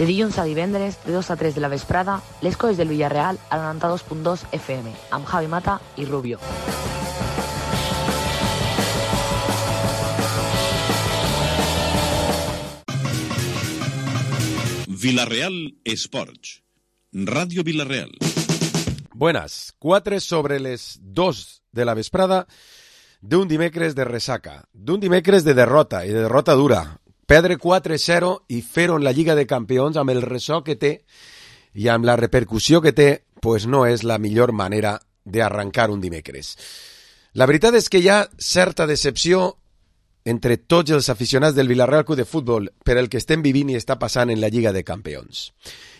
De dilluns a divendres, de 2 a 3 de la vesprada, les coses del Villarreal al 92.2 FM, amb Javi Mata i Rubio. Villarreal Esports, Radio Villarreal. Buenas, 4 sobre les 2 de la vesprada d'un dimecres de ressaca, d'un dimecres de derrota, i de derrota dura. Perdre 4-0 i fer-ho en la Lliga de Campions amb el ressò que té i amb la repercussió que té, pues no és la millor manera d'arrencar un dimecres. La veritat és que hi ha certa decepció entre tots els aficionats del Villarreal Club de Futbol per el que estem vivint i està passant en la Lliga de Campions.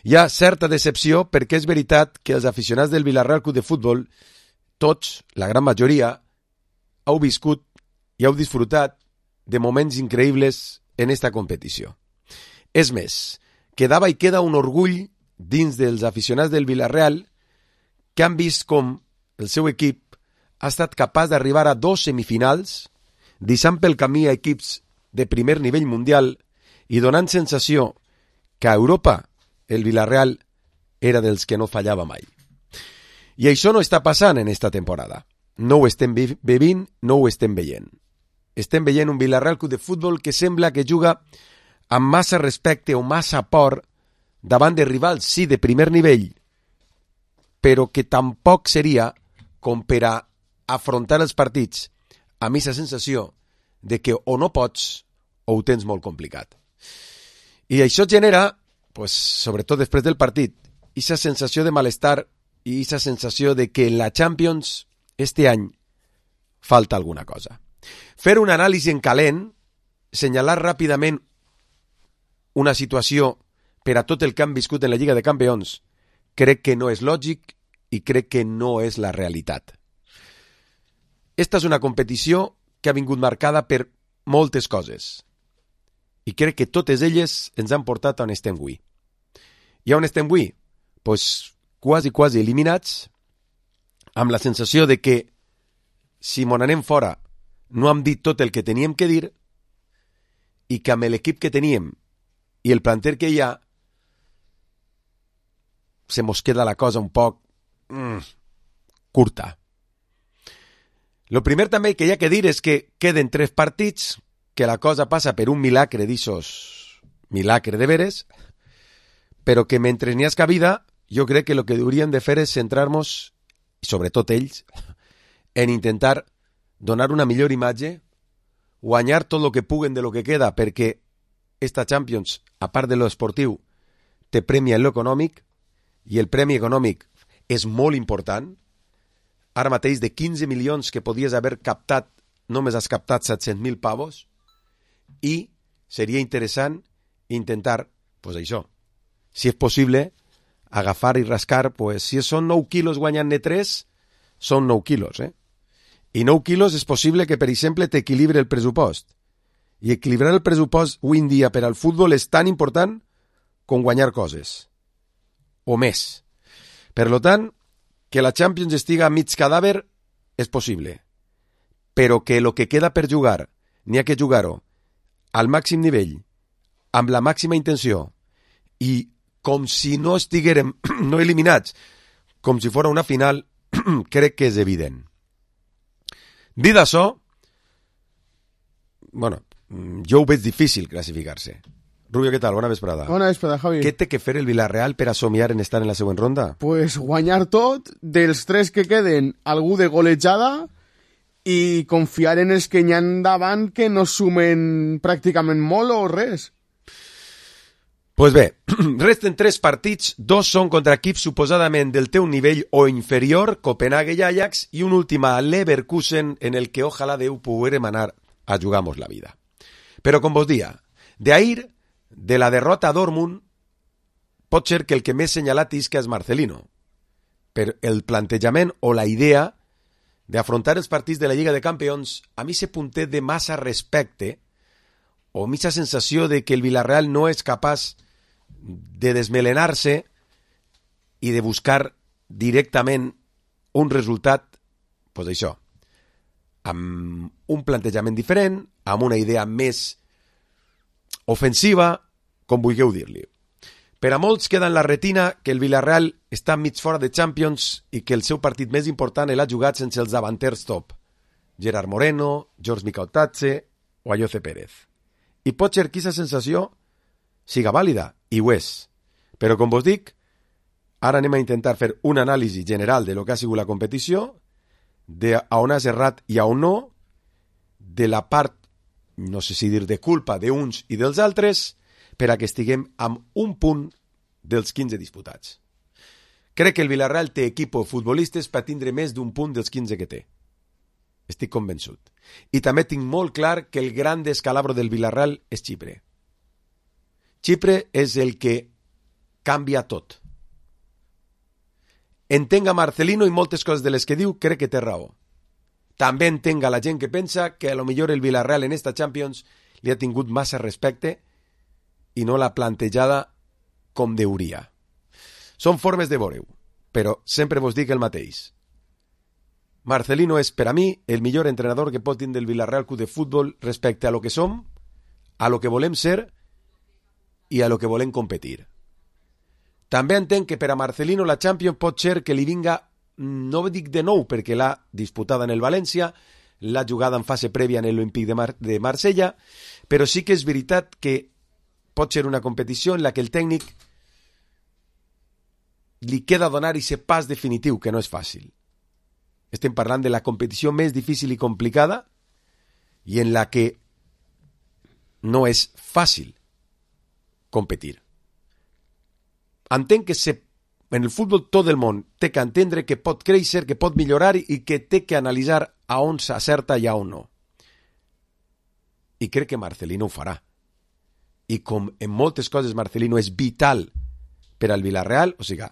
Hi ha certa decepció perquè és veritat que els aficionats del Villarreal Club de Futbol, tots, la gran majoria, heu viscut i heu disfrutat de moments increïbles en esta competició. És més, quedava i queda un orgull dins dels aficionats del Villarreal que han vist com el seu equip ha estat capaç d'arribar a 2 semifinals, deixant pel camí a equips de primer nivell mundial i donant sensació que a Europa el Villarreal era dels que no fallava mai. I això no està passant en esta temporada. No ho estem vivint, no ho estem veient. Estem veient un Villarreal Club de Futbol que sembla que juga amb massa respecte o massa por davant de rivals, sí, de primer nivell, però que tampoc seria com per a afrontar els partits amb aquesta sensació de que o no pots o ho tens molt complicat. I això genera, pues, sobretot després del partit, aquesta sensació de malestar i aquesta sensació de que en la Champions este any falta alguna cosa. Fer un anàlisi en calent, senyalar ràpidament una situació per a tot el que han viscut en la Lliga de Campions, crec que no és lògic i crec que no és la realitat. Esta és una competició que ha vingut marcada per moltes coses i crec que totes elles ens han portat on estem avui. I on estem avui? Pues quasi eliminats, amb la sensació de que si mon anem fora no hem dit tot el que teníem que dir i que amb l'equip que teníem i el planter que hi ha se mos queda la cosa un poc curta. Lo primer també que hi ha que dir és que queden 3 partits, que la cosa passa per un milagre d'ixos, milagre de veres, però que mentre n'hi ha cabida, jo crec que el que hauríem de fer és centrar-nos, i sobretot ells, en intentar donar una millor imatge, guanyar tot el que puguen de lo que queda, perquè esta Champions, a part de lo esportiu, te premia en lo econòmic, i el premi econòmic és molt important. Ara mateix de 15 milions que podies haver captat, només has captat 700.000 pavos, i seria interessant intentar, pues això, si és possible, agafar i rascar, pues si són 9 quilos guanyant-ne 3, són 9 quilos, I 9 quilos és possible que, per exemple, t'equilibri el pressupost. I equilibrar el pressupost avui en dia per al futbol és tan important com guanyar coses. O més. Per tant, que la Champions estiga a mig cadàver és possible, però que el que queda per jugar n'hi ha que jugar-ho al màxim nivell, amb la màxima intenció i com si no estiguérem no eliminats, com si fos una final, crec que és evident. Dit això, bueno, jo ho veig difícil classificar-se. Rubio, què tal? Bona vesprada. Bona vesprada, Javi. Què té que fer el Villarreal per a somiar en estar en la següent ronda? Pues guanyar tot, dels 3 que queden, algú de golejada, i confiar en els que n'hi ha davant que no sumen pràcticament molt o res. Pues bé, resten 3 partits, 2 són contra equips suposadament del teu nivell o inferior, Copenhague i Ajax, i un últim a Leverkusen, en el que ojalà Déu poguérem anar a jugar-nos la vida. Però com vos dia, d'ahir, de la derrota a Dortmund, pot ser que el que més senyalat isca és Marcelino, per el plantejament o la idea d'afrontar els partits de la Lliga de Campions a mi se punté de massa respecte o missa sensació de que el Villarreal no és capaç de desmelenar-se i de buscar directament un resultat, pues això, amb un plantejament diferent, amb una idea més ofensiva, com vulgueu dir-li. Per a molts queda en la retina que el Villarreal està mig fora de Champions i que el seu partit més important l'ha jugat sense els davanters top. Gerard Moreno, George Micautatze o Ayoce Pérez. I pot ser que aquesta sensació siga vàlida, i ho és. Però, com vos dic, ara anem a intentar fer un anàlisi general de lo que ha sigut la competició, de a on has errat i a on no, de la part, no sé si dir de culpa d'uns i dels altres, per a que estiguem amb un punt dels 15 disputats. Crec que el Villarreal té equip o futbolistes per tindre més d'un punt dels 15 que té. Estic convençut. I també tinc molt clar que el gran descalabro del Villarreal és Xipre. Xipre és el que canvia tot. Entenga Marcelino i moltes coses de les que diu, crec que té raó. També entenga la gent que pensa que a lo millor el Villarreal en esta Champions li ha tingut massa respecte i no l'ha plantejada com deuria. Són formes de veure-ho, però sempre vos dic el mateix. Marcelino és, per a mi, el millor entrenador que pot tindre el Villarreal Club de Futbol respecte a lo que som, a lo que volem ser i a lo que volem competir. També entenc que per a Marcelino la Champions pot ser que li vinga, no dic de nou perquè l'ha disputada en el València, l'ha jugada en fase prèvia en l'Olímpic de Marsella, però sí que és veritat que pot ser una competició en la que el tècnic li queda donar aquest pas definitiu, que no és fàcil. Estem parlant de la competició més difícil i complicada i en la que no és fàcil competir. Entenc que en el futbol tot el món té que entendre que pot créixer, que pot millorar i que té que analitzar a on s'acerta i a on no. I crec que Marcelino ho farà. I com en moltes coses Marcelino és vital per al Villarreal, o sigui,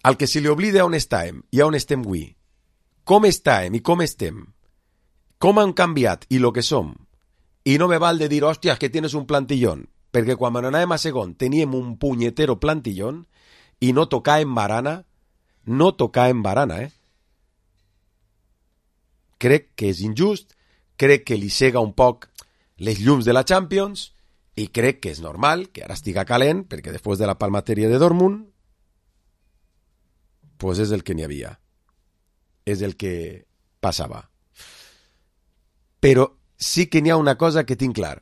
al que se li oblida on estàvem i on estem avui, com estàvem i com estem, com han canviat i lo que som, i no me val de dir, hòstia, que tienes un plantillón, perquè quan anàvem a segon teníem un punyetero plantillón i no tocàvem barana, Crec que és injust, crec que li cega un poc les llums de la Champions i crec que és normal que ara estiga calent perquè després de la palmateria de Dortmund pues és el que n'hi havia, és el que passava. Però sí que n'hi ha una cosa que tinc clar.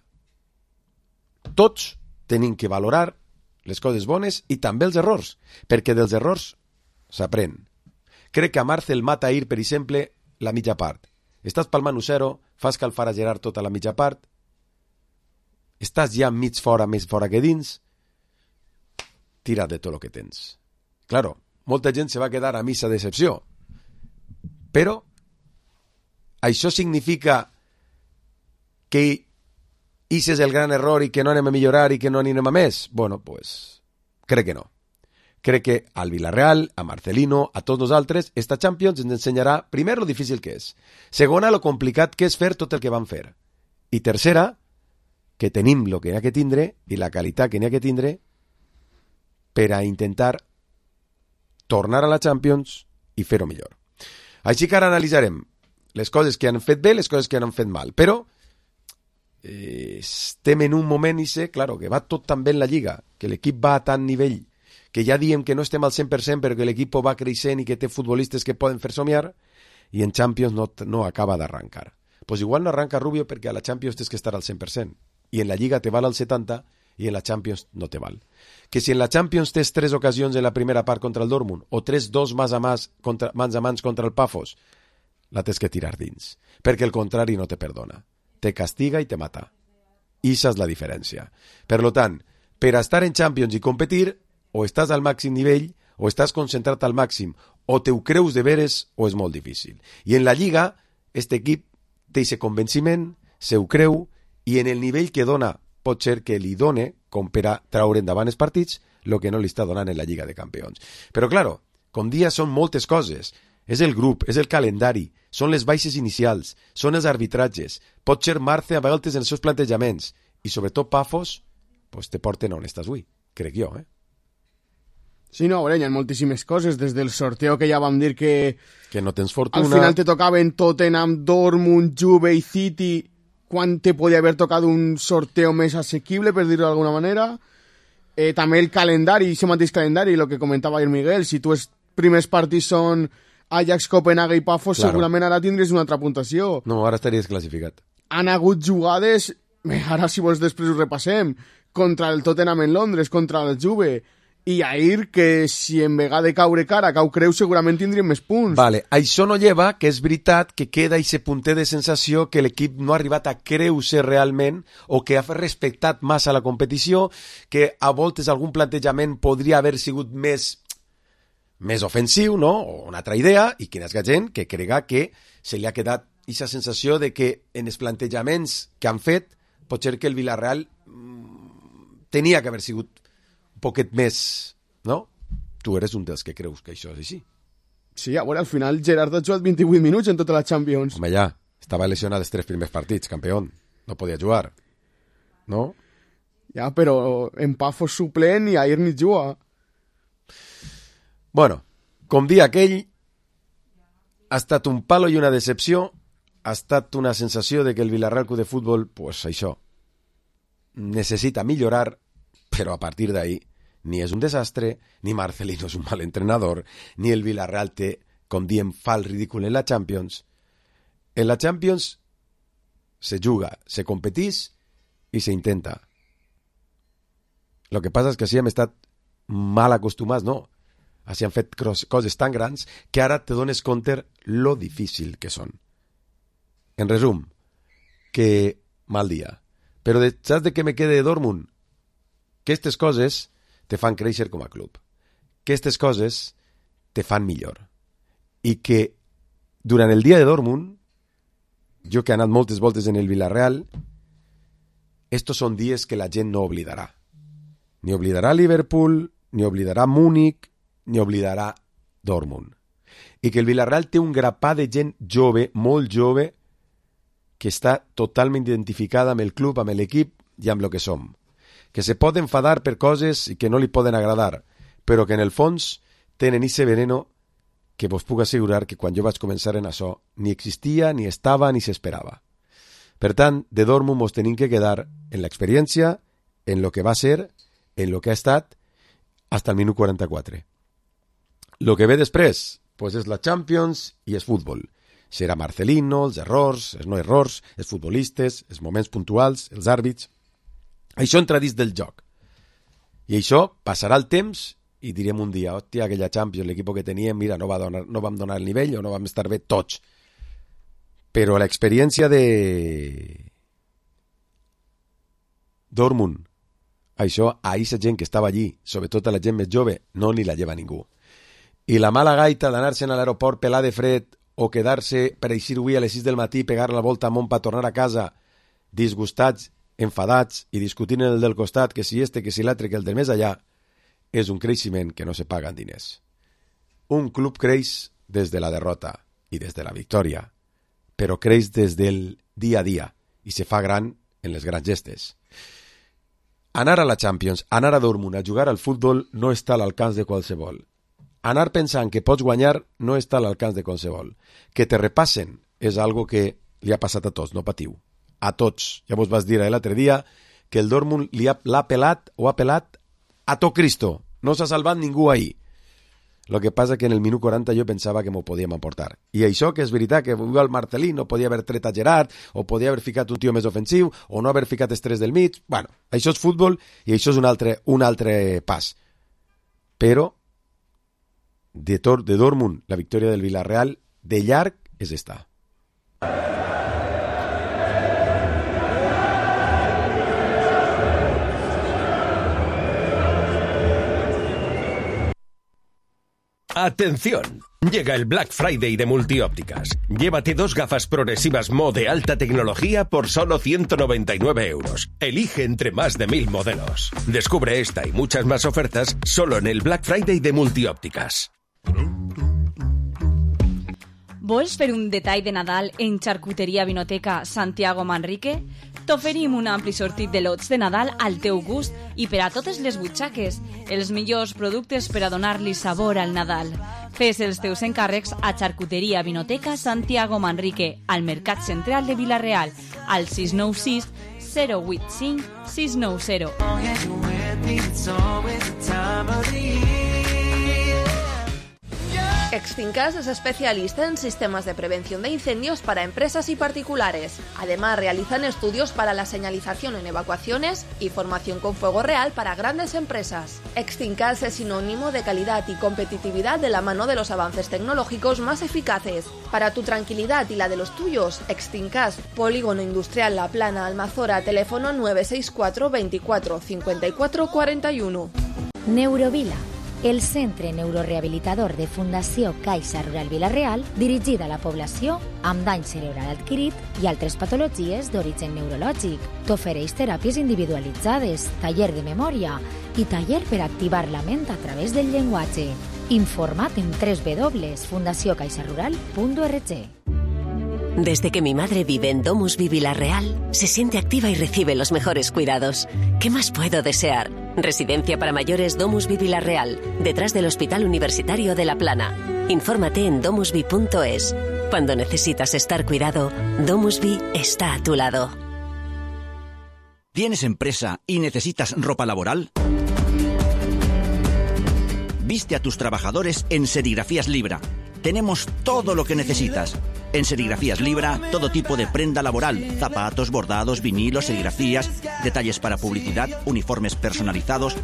Tots tenim que valorar les coses bones i també els errors, perquè dels errors s'aprèn. Crec que a Marcel mata ahir, per exemple, la mitja part. Estàs palmant 1-0, fas calfar a Gerard tota la mitja part, estàs ja mig fora, més fora que dins, tira de tot el que tens. Claro, molta gent se va quedar a missa decepció, però això significa que ese és el gran error i que no anem a millorar i que no anem a més? Bueno, pues crec que no. Crec que al Villarreal, a Marcelino, a tots nosaltres, esta Champions ens ensenyarà, primer, lo difícil que és. Segona, lo complicat que és fer tot el que van fer. I tercera, que tenim lo que n'hi ha que tindre i la qualitat que n'hi ha que tindre per a intentar tornar a la Champions i fer-ho millor. Així que ara analitzarem les coses que han fet bé, les coses que han fet mal. Però estem en un moment, claro, que va tot tan bé en la Lliga, que l'equip va a tant nivell, que ja diem que no estem al 100% però que l'equip va creixent i que té futbolistes que poden fer somiar, i en Champions no acaba d'arrancar. Pues igual no arranca Rubio perquè a la Champions tens que estar al 100%, i en la Lliga te val al 70% i en la Champions no te val. Que si en la Champions tens 3 ocasions en la primera part contra el Dortmund, o 3-2 mans a mans contra el Pafos, la tens que tirar dins, perquè el contrari no te perdona. Te castiga i te mata. Esa és la diferència. Per lo tant, per a estar en Champions i competir, o estàs al màxim nivell, o estàs concentrat al màxim, o te ho creus de veres, o és molt difícil. I en la Lliga, este equip té aquest convenciment, se ho creu, i en el nivell que dona, pot ser que li done, com per a traure endavant els partits, el que no li està donant en la Lliga de Campions. Però, claro, com dia són moltes coses. És el grup, és el calendari, són les baixes inicials, són els arbitratges, pot ser Marce a vegades en els seus plantejaments, i sobretot Pafos, pues te porten on estàs avui, crec jo, Sí, no, hi ha moltíssimes coses, des del sorteo que ja vam dir que no tens fortuna. Al final te tocaven Tottenham, Dortmund, Juve i City, quan te podia haver tocat un sorteo més assequible, per dir-ho d'alguna manera. També el calendari, aquest mateix calendari, el que comentava el Miguel, si tu els primers partits són Ajax, Copenhague i Pafos, claro, segurament ara tindries una altra puntuació. No, ara estaries classificat. Han hagut jugades, ara si vols després ho repassem, contra el Tottenham en Londres, contra el Juve, i ahir que si en vegada de caure cara, cau creu, segurament tindríem més punts. Vale, això no lleva que és veritat que queda aquest punter de sensació que l'equip no ha arribat a creure realment o que ha respectat massa la competició, que a voltes algun plantejament podria haver sigut més ofensiu, no? O una altra idea, i que hi ha gent que crega que se li ha quedat aquesta sensació de que en els plantejaments que han fet pot ser que el Villarreal tenia que haver sigut un poquet més, no? Tu eres un dels que creus que això és així. Sí, a veure, al final Gerard ha jugat 28 minuts en tota la Champions. Home, ja, estava lesionat els 3 primers partits, campió. No podia jugar, no? Ja, però en Pafos suplent i ahir ni juga. Bueno, com dia aquell, ha estat un palo i una decepció, ha estat una sensació de que el Villarreal Club de Futbol, pues això, necessita millorar, però a partir d'ahí ni és un desastre, ni Marcelino és un mal entrenador, ni el Villarreal té, com diem, fa el ridícul en la Champions. En la Champions se juga, se competís i se intenta. Lo que passa és que així hem estat mal acostumats, no? Així han fet coses tan grans que ara te dones compte lo difícil que són. En resum, que mal dia. Però saps de què me quede de Dortmund? Que aquestes coses te fan créixer com a club. Que aquestes coses te fan millor. I que durant el dia de Dortmund, jo que he anat moltes voltes en el Villarreal, estos són dies que la gent no oblidarà. Ni oblidarà Liverpool, ni oblidarà Múnich, ni oblidarà Dortmund. I que el Villarreal té un grapà de gent jove, molt jove, que està totalment identificada amb el club, amb l'equip i amb el que som. Que se pot enfadar per coses i que no li poden agradar, però que en el fons tenen ese veneno que vos puc assegurar que quan jo vaig començar en això ni existia, ni estava, ni s'esperava. Per tant, de Dortmund mos tenim que quedar en l'experiència, en lo que va ser, en lo que ha estat, hasta el minut 44. Lo que ve després, pues és la Champions i és futbol. Serà Marcelino, els errors, els no errors, els futbolistes, els moments puntuals, els àrbits. Això entra dins del joc. I això passarà el temps i direm un dia, hòstia, aquella Champions, l'equip que teníem, mira, no vam donar el nivell o no vam estar bé tots. Però l'experiència de Dortmund, això a aquesta gent que estava allí, sobretot a la gent més jove, no ni la lleva ningú. I la mala gaita d'anar-se'n a l'aeroport pelar de fred o quedar-se per eixir avui a les 6 del matí, pegar la volta amunt per tornar a casa, disgustats, enfadats i discutint en el del costat que si este, que si l'altre, que el del més allà, és un creixement que no se paga en diners. Un club creix des de la derrota i des de la victòria, però creix des del dia a dia i se fa gran en les grans gestes. Anar a la Champions, anar a Dortmund a jugar al futbol no està a l'alcance de qualsevol. Anar pensant que pots guanyar no està a l'alcance de qualsevol. Que te repassen és algo que li ha passat a tots, no patiu. A tots. Ja vos vas dir l'altre dia que el Dortmund l'ha pelat o ha pelat a tot Cristo. No s'ha salvat ningú ahir. Lo que passa que en el minut 40 jo pensava que m'ho podíem emportar. I això que és veritat que el Marcelino podia haver tret a Gerard o podia haver ficat un tio més ofensiu o no haver ficat els tres del mig. Bueno, això és futbol i això és un altre pas. Però de Dortmund, la victòria del Villarreal, de llarg és esta. ¡Atención! Llega el Black Friday de Multiópticas. Llévate 2 gafas progresivas Mo de alta tecnología por solo 199 €. Elige entre más de 1000 modelos. Descubre esta y muchas más ofertas solo en el Black Friday de Multiópticas. Vols fer un detall de Nadal en Charcuteria Vinoteca Santiago Manrique? T'oferim un ampli sortit de lots de Nadal al teu gust i per a totes les butxaques. Els millors productes per a donar-li sabor al Nadal. Fes els teus encàrrecs a Xarcuteria Vinoteca Santiago Manrique, al Mercat Central de Vila-real, al 696 085 690. Extincas es especialista en sistemas de prevención de incendios para empresas y particulares. Además, realizan estudios para la señalización en evacuaciones y formación con fuego real para grandes empresas. Extincas es sinónimo de calidad y competitividad de la mano de los avances tecnológicos más eficaces. Para tu tranquilidad y la de los tuyos, Extincas, Polígono Industrial La Plana, Almazora, teléfono 964 24 54 41. Neurovila, el centre neurorehabilitador de Fundació Caixa Rural Vila-real, dirigida a la població amb dany cerebral adquirit i altres patologies d'origen neurològic. T'ofereix teràpies individualitzades, taller de memòria i taller per activar la ment a través del llenguatge. Informa't en www.fundaciocaixarural.org. Desde que mi madre vive en Domusvi Vila-real, se siente activa y recibe los mejores cuidados. ¿Qué más puedo desear? Residencia para mayores Domusvi Vila-real, detrás del Hospital Universitario de La Plana. Infórmate en domusvi.es. Cuando necesitas estar cuidado, Domusvi está a tu lado. ¿Tienes empresa y necesitas ropa laboral? Viste a tus trabajadores en Serigrafías Libra. Tenemos todo lo que necesitas. En Serigrafías Libra, todo tipo de prenda laboral, zapatos, bordados, vinilos, serigrafías, detalles para publicidad, uniformes personalizados.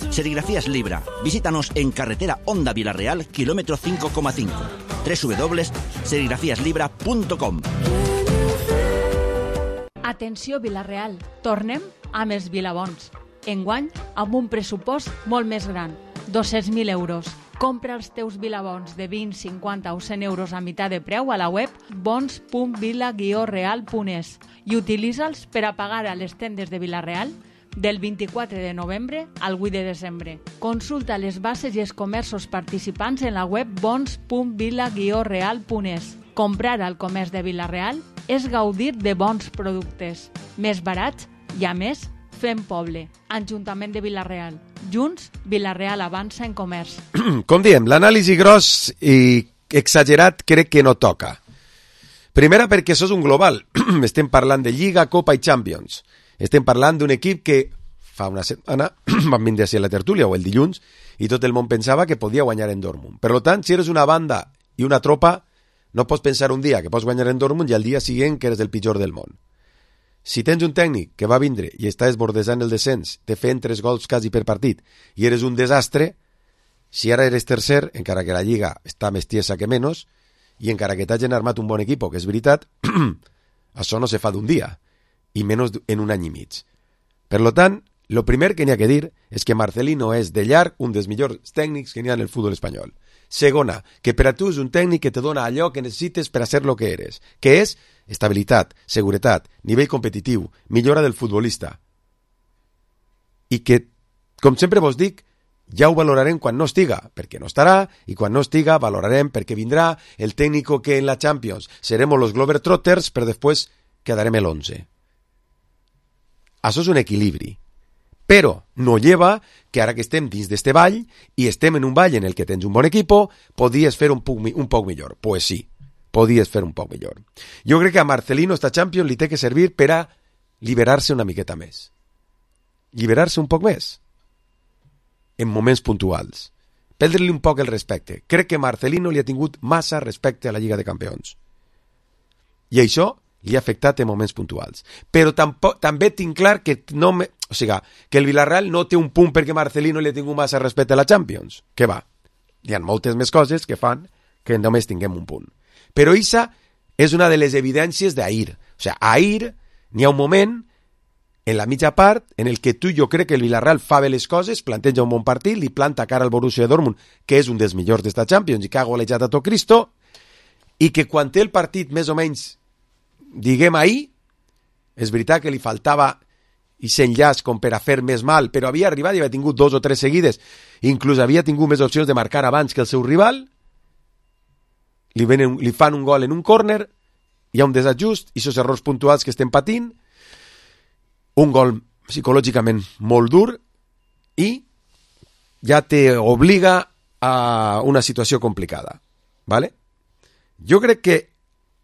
Serigrafías Libra. Visítanos en carretera Honda Vila-real, kilómetro 5,5. www.serigrafíaslibra.com. Atenció Vila-real, tornem amb els Vilabons. Enguany, amb un pressupost molt més gran, 200.000 euros. Compra els teus Vilabons de 20, 50 o 100 euros a meitat de preu a la web bons.vila-real.es i utilitza'ls per a pagar a les tendes de Vila-real del 24 de novembre al 8 de desembre. Consulta les bases i els comerços participants en la web bons.vila-real.es. Comprar al comerç de Vila-real és gaudir de bons productes, més barats i, a més, fem poble. Ajuntament de Vila-real. Junts, Vila-real avança en comerç. Com diem, l'anàlisi gros i exagerat crec que no toca. Primera perquè això és un global. Estem parlant de Lliga, Copa i Champions. Estem parlant d'un equip que fa una setmana van vindre a la tertúlia o el dilluns i tot el món pensava que podia guanyar en Dortmund. Per tant, si eres una banda i una tropa, no pots pensar un dia que pots guanyar en Dortmund i al dia següent que eres el pitjor del món. Si tens un tècnic que va vindre i està esbordejant el descens, te fent 3 gols quasi per partit i eres un desastre, si ara eres tercer, encara que la Lliga està més tiesa que menys, i encara que t'hagin armat un bon equip, que és veritat, això no se fa d'un dia, i menys en un any i mig. Per tant, el primer que n'hi ha que dir és que Marcelino és de llarg un dels millors tècnics que n'hi ha en el futbol espanyol. Segona, que per a tu és un tècnic que te dona allò que necessites per a ser lo que eres, que és estabilitat, seguretat, nivell competitiu, millora del futbolista. I que, com sempre vos dic, ja ho valorarem quan no estiga, perquè no estarà, i quan no estiga valorarem perquè vindrà el tècnico que en la Champions seremos los Globetrotters, però després quedarem el 11. Això és un equilibri. Però no lleva que ara que estem dins d'este ball i estem en un ball en el que tens un bon equipo, podies fer un poc millor. Pues sí, podies fer un poc millor. Jo crec que a Marcelino esta Champions li té que servir per a liberar-se una miqueta més. Liberar-se un poc més. En moments puntuals. Perdre-li un poc el respecte. Crec que Marcelino li ha tingut massa respecte a la Lliga de Campions. I això li ha afectat en moments puntuals. Però també tinc clar que que el Villarreal no té un punt perquè Marcelino li ha tingut massa respecte a la Champions. Que va, hi ha moltes més coses que fan que només tinguem un punt. Però això és una de les evidències d'ahir. Ahir n'hi ha un moment en la mitja part en el que jo crec que el Villarreal fa bé les coses, planteja un bon partit, li planta cara al Borussia Dortmund, que és un dels millors d'esta Champions i que ha golejat a tot Cristo, i que quan té el partit més o menys diguem ahir, és veritat que li faltava i s'enllaç com per a fer més mal, però havia arribat i havia tingut 2 o 3 seguides, inclús havia tingut més opcions de marcar abans que el seu rival, li fan un gol en un córner, hi ha un desajust, i aquests errors puntuals que estem patint, un gol psicològicament molt dur, i ja t'obliga a una situació complicada, ¿vale? Jo crec que,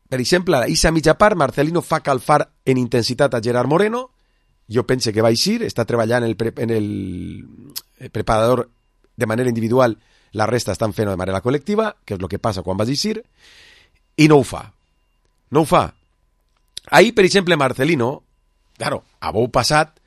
per exemple, a la mitja part, Marcelino fa calfar en intensitat a Gerard Moreno. Jo pense que va eixir, està treballant en el preparador de manera individual, la resta estan fent de manera col·lectiva, que és el que passa quan vas eixir, i no ho fa. No ho fa. Ahir, per exemple, Marcelino, claro, a bou passat,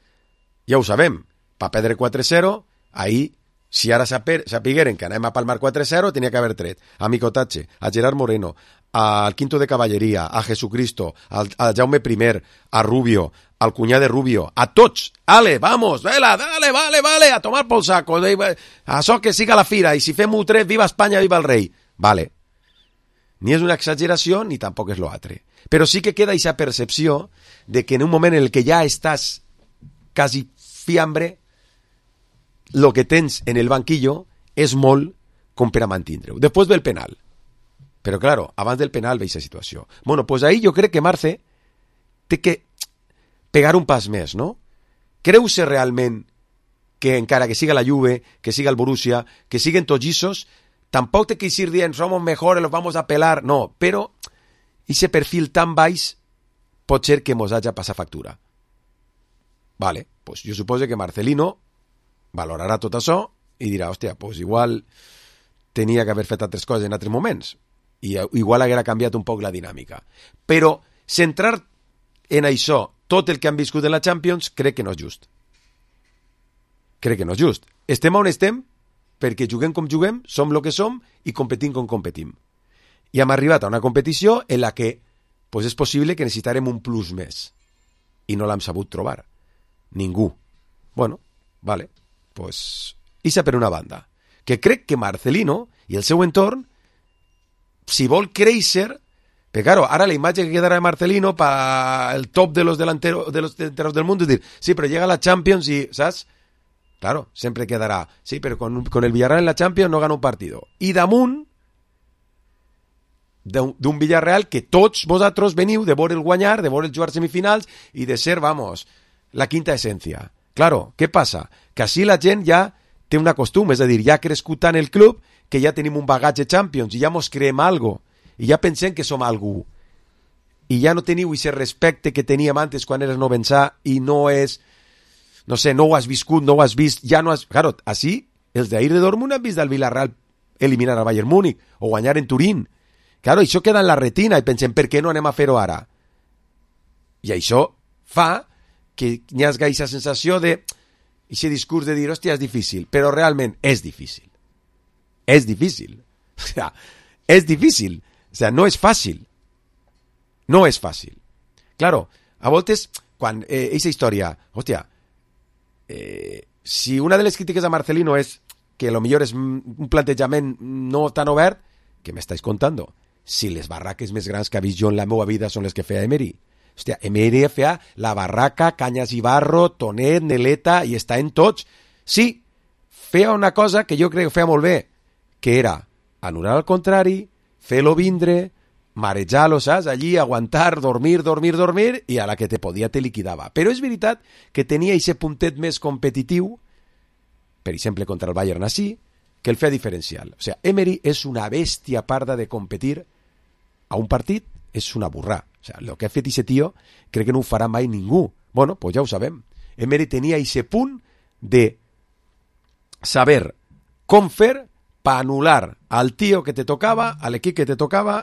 ja ho sabem, va perdre 4-0, ahir, si ara sapigueren que anem a palmar 4-0, tenia que haver tret a Micotatge, a Gerard Moreno, al Quinto de Caballeria, a Jesucristo, al Jaume I, a Rubio, al cunyà de Rubio, a tots. Ale, vamos, vela, dale, vale, a tomar pel saco. Això que siga la fira, i si fem-ho tret, viva Espanya, viva el rei. Vale. Ni és una exageració, ni tampoc és l'altre. Però sí que queda aquesta percepció de que en un moment en el que ja estàs quasi fiambre, lo que tens en el banquillo és molt com per a mantindre-ho. Després ve el penal. Però, claro, abans del penal ve aquesta situació. Bueno, pues ahí jo crec que Marce té que pegar un pas més, no? Creu-se realment que encara que siga la Juve, que siga el Borussia, que siguen tots llisos, tampoc té que ir dient somos mejores, los vamos a pelar. No, però ese perfil tan baix pot ser que mos haja passat factura. Vale, pues jo suposo que Marcelino valorarà tot això i dirà, hòstia, pues igual tenia que haver fet altres coses en altres moments i igual haguera canviat un poc la dinàmica. Però centrar en això tot el que han viscut en la Champions crec que no és just. Crec que no és just. Estem on estem perquè juguem com juguem, som el que som i competim com competim. I hem arribat a una competició en la que pues és possible que necessitarem un plus més i no l'hem sabut trobar. Ningú. Bueno, vale. Pues, ixa per una banda, que crec que Marcelino i el seu entorn, si vol créixer, perquè claro, ara la imatge que quedarà de Marcelino para el top de los delanteros del mundo, es dir, sí, però llega a la Champions i, ¿sabes? Claro, sempre quedarà, sí, però con el Villarreal en la Champions no gana un partido. I damunt d'un Villarreal que tots vosaltres veniu de veure el guanyar, de veure el jugar semifinals i de ser, vamos, la quinta essència. Claro, què passa? Que així la gent ja té una costum, és a dir, ja ha crescut tant el club que ja tenim un bagatge Champions i ja mos creem algo i ja pensem que som algú i ja no teniu aquest respecte que teníem antes quan eres novensà i no és, no sé, no ho has viscut, no ho has vist, ja no has... Claro, així, els d'ahir de Dortmund han vist al Villarreal eliminar al Bayern Múnich o guanyar en Turín. Claro, això queda en la retina i pensem, per què no anem a fer-ho ara? I això fa que hi hagi aquesta sensació de aquest discurs de dir, hòstia, és difícil, però realment és difícil. És difícil. O sea, és difícil. O sea, no és fàcil. No és fàcil. Claro, a voltes, quan aquesta història, hòstia, si una de les crítiques a Marcelino és que lo millor és un plantejament no tan obert, què m'estàs contant? Si les barraques més grans que he vist jo en la meva vida són les que feia Emery. Hòstia, Emery feia la barraca, Canyes i Barro, Tonet, Neleta, i està en tots. Sí, feia una cosa que jo crec que feia molt bé, que era anul·lar al contrari, fer-lo vindre, marejar-lo, saps? Allí, aguantar, dormir, i a la que te podia te liquidava. Però és veritat que tenia aquest puntet més competitiu, per exemple, contra el Bayern així, que el feia diferencial. O sigui, Emery és una bèstia parda de competir a un partit, és una burrà. O sigui, el que ha fet aquest tio crec que no ho farà mai ningú. Bueno, pues ja ho sabem. Emery tenia aquest punt de saber com fer per anul·lar al tio que te tocava, a l'equip que te tocava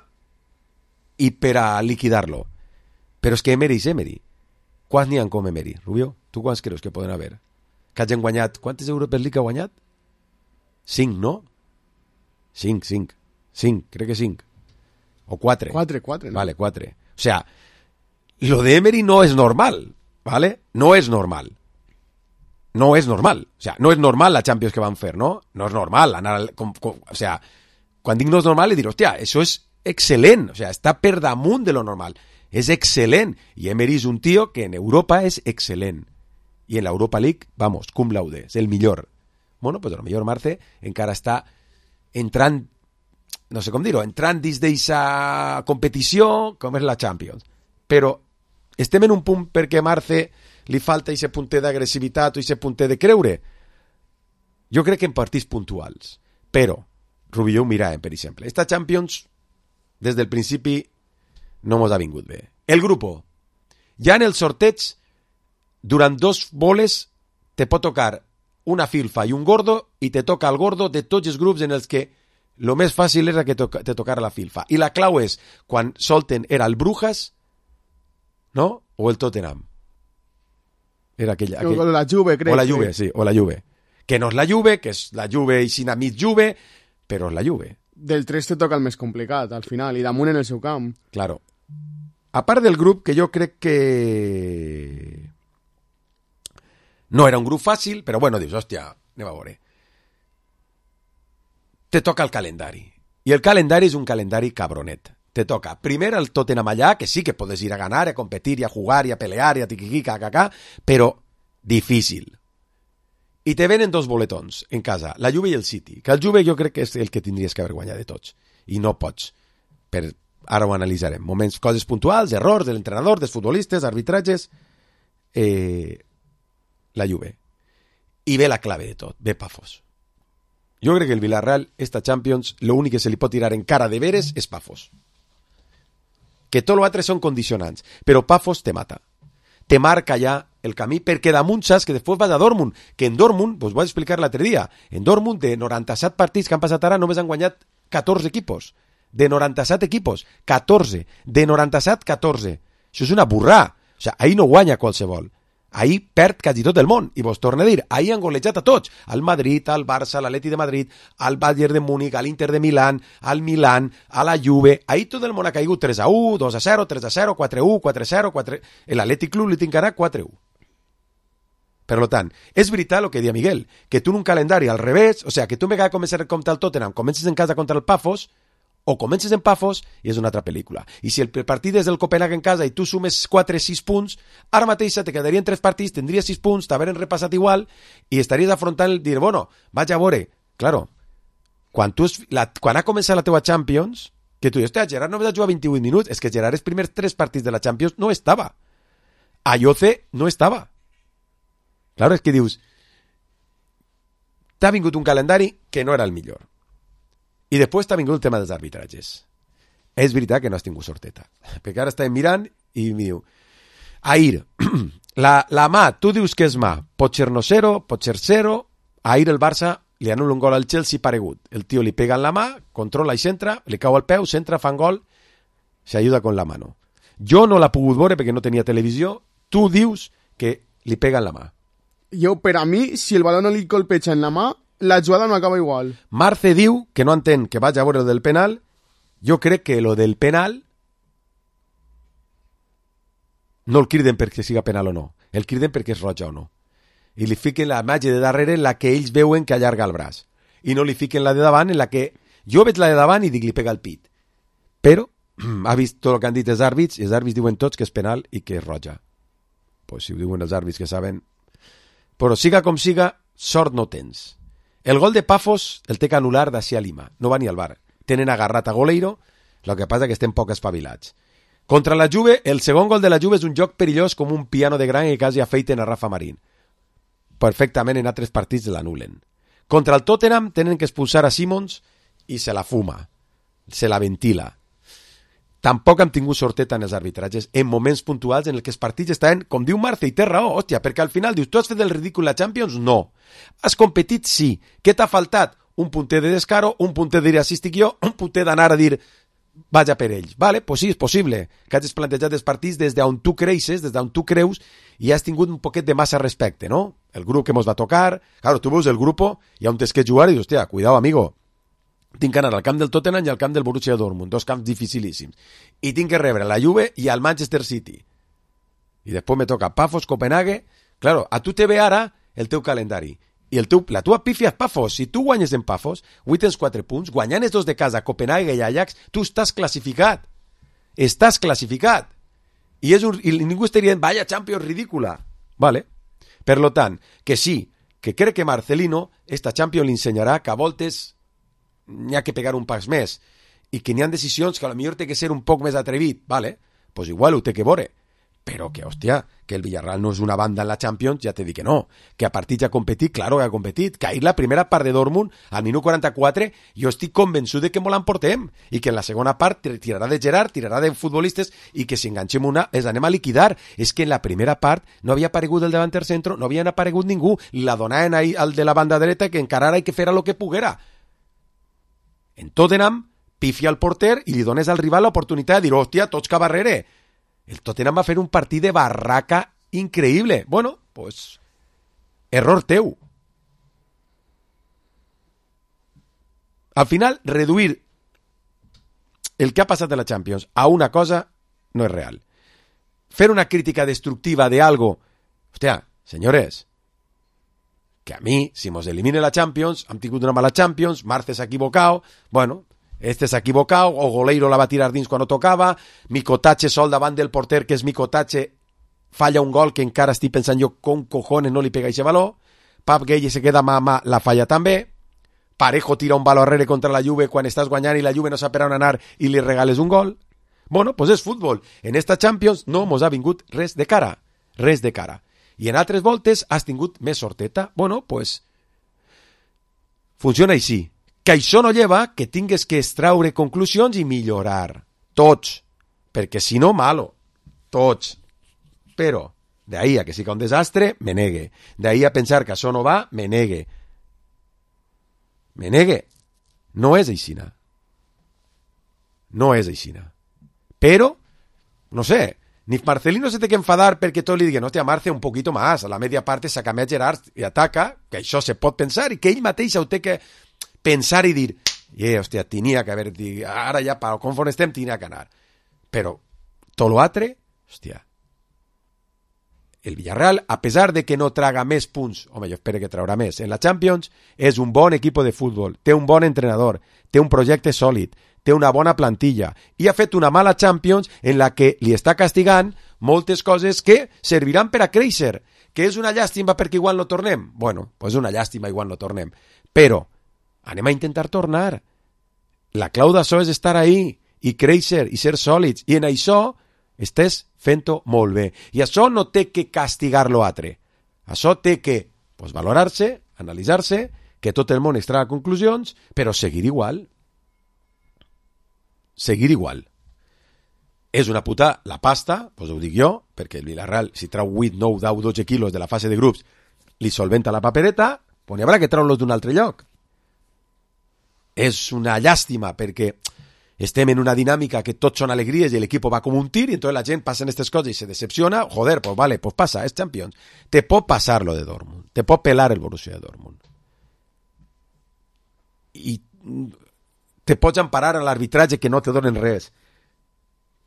i per a liquidar-lo. Però és que Emery és Emery. Quants n'hi ha com Emery? Rubio, tu quants creus que poden haver? Que hagin guanyat? Quantes Europa League ha guanyat? 5, no? 5, crec que 5. O 4. 4, ¿no? Vale, 4. O sea, lo de Emery no es normal, ¿vale? No es normal. No es normal. O sea, no es normal la Champions que van fer, ¿no? No es normal anar... o sea, quan dic no és normal, li dir, hòstia, això és excel·lent. O sea, està per damunt de lo normal. És excel·lent. I Emery és un tio que en Europa és excel·lent. I en l'Europa League, vamos, cum laude, és el millor. Bueno, pues a lo millor Marce encara està entrant, no sé com dir-ho, entrant dins d'eixa competició com és la Champions. Però estem en un punt perquè a Marce li falta eixe punter d'agressivitat o eixe punter de creure. Jo crec que en partits puntuals. Però Rubilló ho miràvem, per exemple. Esta Champions, des del principi, no mos ha vingut bé. El grupo. Ja en el sorteig, durant 2 boles, te pot tocar una filfa i un gordo, i te toca el gordo de tots els grups en els que lo més fàcil era que te tocara la filfa. I la clau és, quan solten, era el Brujas, no? O el Tottenham. Era aquell... O la Juve, crec. O la Juve, sí, o la Juve. Que no és la Juve, que és la Juve i sin mig Juve, però és la Juve. Del 3 te toca el més complicat, al final, i damunt en el seu camp. Claro. A part del grup, que jo crec que... no era un grup fàcil, però bueno, dius, hòstia, anem a veure. Te toca el calendari. I el calendari és un calendari cabronet. Te toca primer el Tottenham allà, que sí que podes ir a ganar, a competir, a jugar, a pelear, a tiquiqui, cacacà, però difícil. I te venen 2 boletons en casa, la Juve i el City, que el Juve jo crec que és el que tindries que haver guanyat de tots. I no pots. Ara ho analitzarem. Moments, coses puntuals, errors de l'entrenador, dels futbolistes, arbitratges... la Juve. I ve la clave de tot, ve Pafos. Jo crec que el Villarreal, esta Champions, l'únic que se li pot tirar en cara de veres és Pafos. Que tot l'altre són condicionants, però Pafos te mata. Te marca ja el camí, perquè damunt saps que després vas a Dortmund, que en Dortmund, vos vaig explicar l'altre dia, en Dortmund de 97 partits que han passat ara només han guanyat 14 equipos. De 97 equipos, 14. De 97, 14. Això és una burrà. O sigui, ahir no guanya qualsevol. Ahir perd quasi tot el món. I vos torno a dir, ahir han golejat a tots. Al Madrid, al Barça, a l'Atleti de Madrid, al Bayern de Múnich, a l'Inter de Milán, al Milán, a la Juve. Ahir tot el món ha caigut 3-1, 2-0, 3-0, 4-1, 4-0, 4... L'Atlètic Club li tincarà 4-1. Per tant, és veritat el que dia Miguel, que tu en un calendari al revés, o sigui, que tu en vegada de començar a comptar el Tottenham, comences en casa contra el Pafos, o comences en Pafos i és una altra pel·lícula. I si el partit és del Copenhague en casa i tu sumes 4-6 punts, ara mateix te quedarien 3 partits, tindries 6 punts, t'haveren repassat igual i estaries afrontant el dir, bueno, vaig a veure. Claro, quan ha començat la teva Champions, que tu dius, Gerard només ha jugat 28 minuts, és que Gerard els primers 3 partits de la Champions no estava. Ayoce no estava. Claro, és que dius, t'ha vingut un calendari que no era el millor. I després t'ha vingut el tema dels arbitratges. És veritat que no has tingut sorteta. Perquè ara estàvem mirant i em diu, ahir, la mà, tu dius que és mà, pot ser no 0, pot ser 0, ahir el Barça li anul·la un gol al Chelsea paregut. El tio li pega en la mà, controla i centra, li cau al peu, centra, fan gol, s'ajuda con la mano. Jo no l'ha pogut veure perquè no tenia televisió, tu dius que li pega en la mà. Jo, per a mi, si el baló no li colpeja en la mà, la jugada no acaba igual. Marce diu que no entén que vaig a veure el del penal. Jo crec que lo del penal no el criden perquè siga penal o no. El criden perquè és roja o no. I li fiquen la imatge de darrere en la que ells veuen que allarga el braç. I no li fiquen la de davant en la que jo veig la de davant i dic li pega el pit. Però ha vist tot el que han dit els àrbits i els àrbits diuen tots que és penal i que és roja. Pues si ho diuen els àrbits que saben. Però siga com siga, sort no tens. El gol de Pafos el té que anul·lar d'ací a Lima. No va ni al bar. Tenen agarrat a Goleiro, el que passa que estem poc espavilats. Contra la Juve, el segon gol de la Juve és un joc perillós com un piano de gran i quasi afeiten a Rafa Marín. Perfectament en altres partits l'anulen. Contra el Tottenham tenen que expulsar a Simons i se la fuma. Se la ventila. Tampoc hem tingut sorteta en els arbitratges en moments puntuals en què els partits estaven, com diu Marce, i té raó, hòstia, perquè al final dius, tu has fet el ridícul a Champions? No. Has competit? Sí. Què t'ha faltat? Un punter de descaro, un punter de dir assistic jo, un punter d'anar a dir vaig a per ells. Vale, pues sí, és possible que hagis plantejat els partits des d'on tu creixes, des d'on tu creus, i has tingut un poquet de massa respecte, no? El grup que mos va tocar, claro, tu veus el grup i on tens que jugar i dius, hòstia, cuidao, amigo. Tinc que anar al camp del Tottenham i al camp del Borussia Dortmund, 2 camps dificilíssims. I tinc que rebre la Juve i al Manchester City. I després me toca Pafos, Copenhague. Claro, a tu te ve ara el teu calendari. I la tua pífia és Pafos. Si tu guanyes en Pafos, avui tens 4 punts, guanyant els 2 de casa, Copenhague i Ajax, tu estàs classificat. Estàs classificat. I ningú estaria dient, vaya Champions ridícula. Vale. Per lo tant, que sí, que crec que Marcelino, esta Champions li ensenyarà que a voltes n'hi ha que pegar un pas més i que n'hi ha decisions que a lo millor té que ser un poc més atrevit, vale? Pues igual ho té que veure, però que, hòstia, que el Villarreal no és una banda en la Champions, ja t'he dit que no. Que a partits ha competit, claro que ha competit. Que ahir la primera part de Dortmund, al minut 44, jo estic convençut de que molt l'emportem. I que en la segona part tirarà de Gerard, tirarà de futbolistes, i que si enganxem una, els anem a liquidar. És que en la primera part no havia aparegut el davanter centro, no havia aparegut ningú. La donaven ahí al de la banda dreta que encarara i que fera lo que poguera. En Tottenham, pifia al porter i li dones al rival l'oportunitat de dir, hòstia, tots cap darrere. El Tottenham va fer un partit de barraca increïble. Bueno, pues, error teu. Al final, reduir el que ha passat a la Champions a una cosa no és real. Fer una crítica destructiva de algo... Hòstia, senyores, que a mi, si mos elimine la Champions, hem tingut una mala Champions, Marce s'ha equivocat, bueno... Este s'ha equivocat, o Goleiro la va tirar dins quan no tocava, Mikotache sol davant del porter, que és Mikotache, falla un gol que encara estic pensant jo com cojones no li pega ese valor, Pap Gueye se queda mà, la falla també, Parejo tira un valor arrere contra la Juve quan estàs guanyant i la Juve no sap per on anar i li regales un gol. Bueno, pues és futbol. En esta Champions no mos ha vingut res de cara, res de cara. I en altres voltes has tingut més sorteta. Bueno, pues funciona així. Que això no lleva que tingues que extraure conclusions i millorar. Tots. Perquè si no, malo. Tots. Però, d'ahí a que siga un desastre, me negue. D'ahí a pensar que això no va, me negue. Me negue. No és aixina. No és aixina. Però, no sé, ni Marcelino se té que enfadar perquè tot li digui, no, hòstia, Marce, un poquito más. A la media parte saca més Gerard i ataca, que això se pot pensar i que ell mateix ho té que pensar i dir, hòstia, tenia que haver dit, ara ja, conforme estem, tenia que anar. Però, tot l'altre, hòstia, el Villarreal, a pesar de que no traga més punts, home, jo espero que traurà més, en la Champions, és un bon equip de futbol, té un bon entrenador, té un projecte sòlid, té una bona plantilla, i ha fet una mala Champions en la que li està castigant moltes coses que serviran per a créixer, que és una llàstima perquè igual no tornem. Bueno, pues una llàstima igual no tornem. Però, anem a intentar tornar. La clau d'això és estar ahí i créixer i ser sòlids. I en això estàs fent-ho molt bé. I això no té que castigar l'altre. Això té que valorar-se, analitzar-se, que tot el món extraga conclusions, però seguir igual. Seguir igual. És una puta la pasta, ho dic jo, perquè el Villarreal, si trau 8, 9, 10, 12 quilos de la fase de grups, li solventa la papereta, n'hi haurà que treure-los d'un altre lloc. És una llàstima perquè estem en una dinàmica que tots són alegries i l'equip va com un tir i entonces la gent passa aquestes coses i se decepciona. Joder, pues vale, pues passa, és Champions. Te pot passar lo de Dortmund, te pot pelar el Borussia de Dortmund. I te pots emparar a l'arbitratge que no te donen res.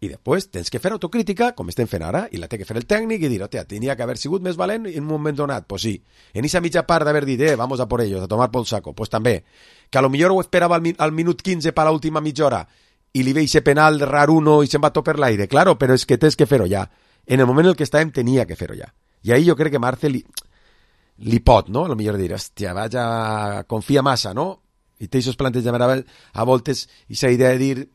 I després tens que fer autocrítica, com estem fent ara, i la té que fer el tècnic i dir, hòstia, tenia que haver sigut més valent en un moment donat. Pues sí. En esa mitja part d'haver dit, vamos a por ellos, a tomar por saco. Pues també. Que a lo millor ho esperava al minut 15 per l'última mitja hora i li veig ese penal rar uno i se'n va tot per l'aire. Claro, però és que tens que fer-ho ja. En el moment en el que estàvem tenia que fer-ho ja. I ahí jo crec que Marce li pot, no? A lo millor dir, hòstia, vaja, confia massa, no? I té aquests plantejaments a voltes i aquesta idea de dir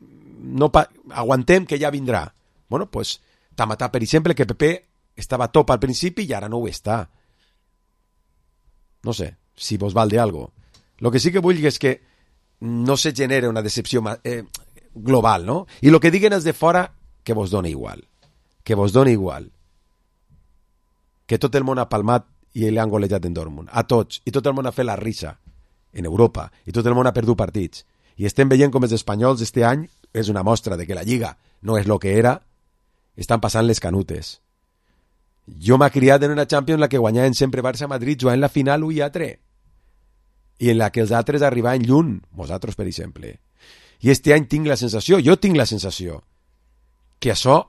no aguantem que ja vindrà. Bueno, pues Tamatà, per exemple, que Pepe estava top al principi i ara no ho està. No sé, si vos val de algo. Lo que sí que vull és que no se genere una decepció global, no? I lo que diguen els de fora, que vos dona igual. Que vos dona igual. Que tot el món ha palmat i l'han golejat en Dortmund. A tots. I tot el món ha fet la risa en Europa. I tot el món ha perdut partits. I estem veient com els espanyols este any és una mostra de que la Lliga no és lo que era, estan passant les canutes. Jo m'ha criat en una Champions en la que guanyaven sempre Barça-Madrid jugant la final 1-3 i en la que els altres arribaven lluny, vosaltres per exemple. I este any tinc la sensació, jo tinc la sensació que això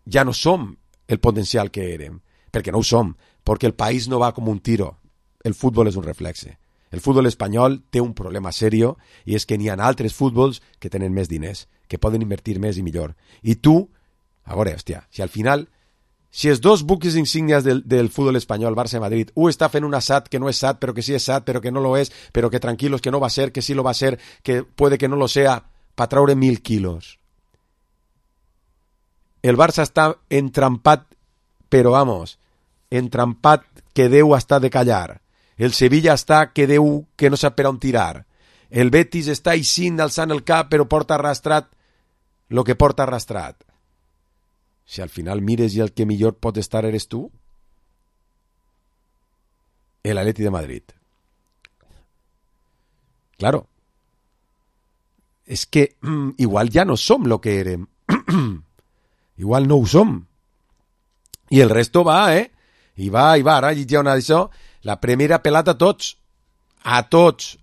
ja no som el potencial que érem, perquè no ho som, perquè el país no va com un tiro, el futbol és un reflexe. El futbol espanyol té un problema serio i és que n'hi ha altres futbols que tenen més diners, que poden invertir més i millor. I tu, a veure, hòstia, si al final, si els dos buques insígnies del futbol espanyol, Barça i Madrid, està fent una SAT que no és SAT, però que sí és SAT, però que no lo és, però que tranquilos, que no va ser, que sí lo va ser, que puede que no lo sea, para traure 1.000 quilos. El Barça està entrampat però vamos, entrampat que Déu està de callar. El Sevilla està que Déu que no sap per on tirar. El Betis està eixint alçant el cap, però porta arrastrat lo que porta arrastrat. Si al final mires i el que millor pot estar eres tu, el Atleti de Madrid. Claro, es que igual ya no som lo que érem. Igual no ho som. I el resto va, I va. Ara hi ha una d'això. La primera pelat a tots. A tots.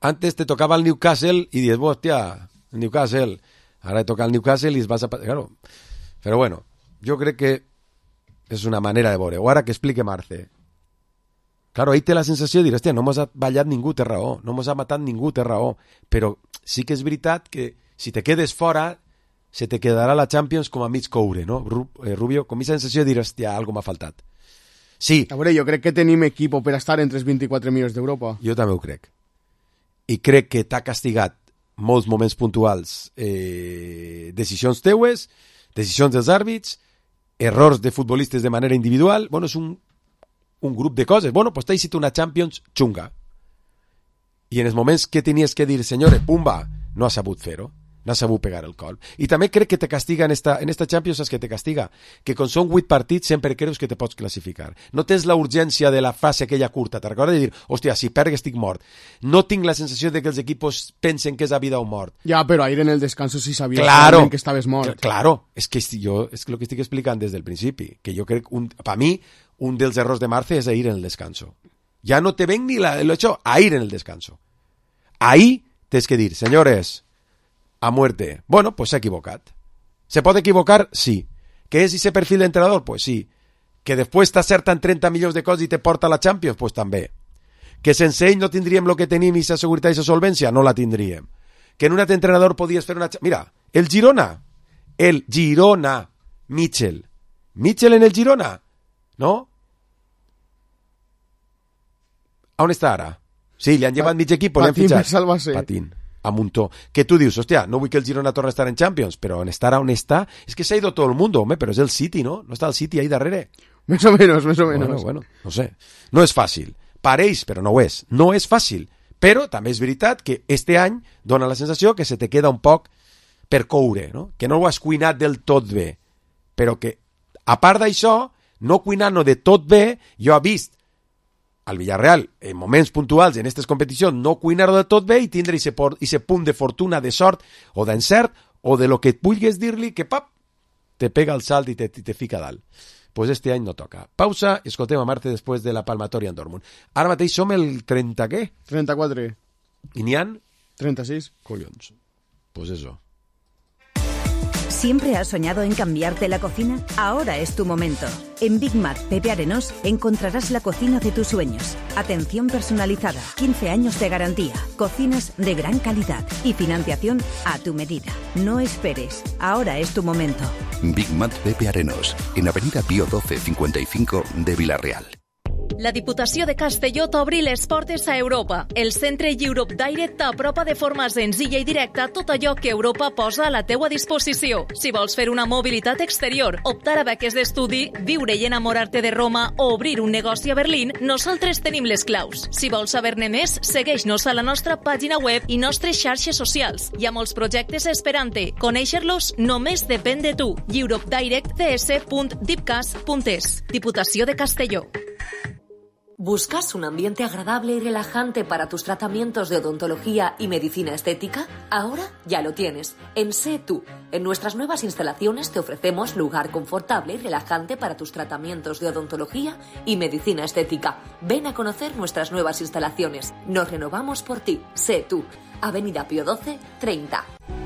Antes te tocaba el Newcastle y dices, hostia, el Newcastle. Ahora te toca el Newcastle y vas a... Claro. Pero bueno, yo creo que és una manera de veure. O ara que explique Marce. Claro, ahí té la sensació de dir, hòstia, no mos ha ballat ningú, té raó. No mos ha matat ningú, té raó. Però sí que és veritat que si te quedes fora, se te quedarà la Champions com a mig coure, no? Rubio, com aquesta sensació de dir, hòstia, algo m'ha faltat. Sí. A veure, jo crec que tenim equip per estar entre els 24 millors d'Europa. Jo també ho crec. I crec que t'ha castigat molts moments puntuals, decisions teues, decisions dels àrbits, errors de futbolistes de manera individual. Bueno, és un grup de coses. Bueno, pues t'ha sigut una Champions xunga. I en els moments que tenies que dir, senyores, pumba, no has sabut fer-ho. No has sabut pegar el col. I també crec que te castiga en esta Champions, saps que te castiga? Que quan són 8 partits sempre creus que te pots classificar. No tens la urgència de la fase aquella curta. Te recordes de dir, hòstia, si perc estic mort. No tinc la sensació de que els equipos pensen que és a vida o mort. Ja, però ahir en el descanso sí sabies que estaves mort. Claro, és que jo és lo que estic explicant des del principi. Que jo crec, per mi, un dels errors de Marce és ahir en el descanso. Ja no te ven ni lo hecho, ahir en el descanso. Ahí tens que dir, senyores, a muerte. Bueno, pues s'ha equivocat. ¿Se puede equivocar? Sí. ¿Que es ese perfil de entrenador? Pues sí. ¿Que después t'acerten 30 milions de coses i te porta a la Champions? Pues també. ¿Que sense ell no tindríem lo que tenim i sa seguretat i sa solvència? No la tindríem. ¿Que en un altre entrenador podies fer una... Mira, el Girona, Mitchell en el Girona, no? On està ara? Sí, li han llevat mig equip, li han fitxat. Patín. A muntó. Que tu dius, hòstia, no vull que el Girona torni a estar en Champions, però on està, és que s'ha ido todo el mundo, home, però és el City, ¿no? No està el City ahí darrere. Més o menos. Bueno, no sé. No és fàcil. Pareix, però no ho és. No és fàcil. Però també és veritat que este any dona la sensació que se te queda un poc per coure, no? Que no ho has cuinat del tot bé. Però que, a part d'això, no cuinant-ho de tot bé, jo he vist al Villarreal, en moments puntuals en aquestes competicions, no cuinar-ho de tot bé i tindre aquest punt de fortuna, de sort o d'encert o de lo que et vulguis dir-li que pap, te pega el salt i te fica dalt. Pues este any no toca. Pausa, escoltem a Marte després de la palmatòria en Dortmund. Ara mateix som el 30 què? 34. I n'hi han? 36. Collons. Pues eso. ¿Siempre has soñado en cambiarte la cocina? Ahora es tu momento. En Big Mac Pepe Arenós encontrarás la cocina de tus sueños. Atención personalizada, 15 años de garantía, cocinas de gran calidad y financiación a tu medida. No esperes, ahora es tu momento. Big Mac Pepe Arenós, en Avenida Pío 12 55 de Vila-real. La Diputació de Castelló t'obri les portes a Europa. El centre Europe Direct t'apropa de forma senzilla i directa tot allò que Europa posa a la teua disposició. Si vols fer una mobilitat exterior, optar a beques d'estudi, viure i enamorar-te de Roma o obrir un negoci a Berlín, nosaltres tenim les claus. Si vols saber-ne més, segueix-nos a la nostra pàgina web i nostres xarxes socials. Hi ha molts projectes esperant-te. Conèixer-los només depèn de tu. europedirectcs.dipcas.es. Diputació de Castelló. ¿Buscas un ambiente agradable y relajante para tus tratamientos de odontología y medicina estética? Ahora ya lo tienes, en Sé Tú. En nuestras nuevas instalaciones te ofrecemos lugar confortable y relajante para tus tratamientos de odontología y medicina estética. Ven a conocer nuestras nuevas instalaciones. Nos renovamos por ti. Sé Tú. Avenida Pío 12, 30.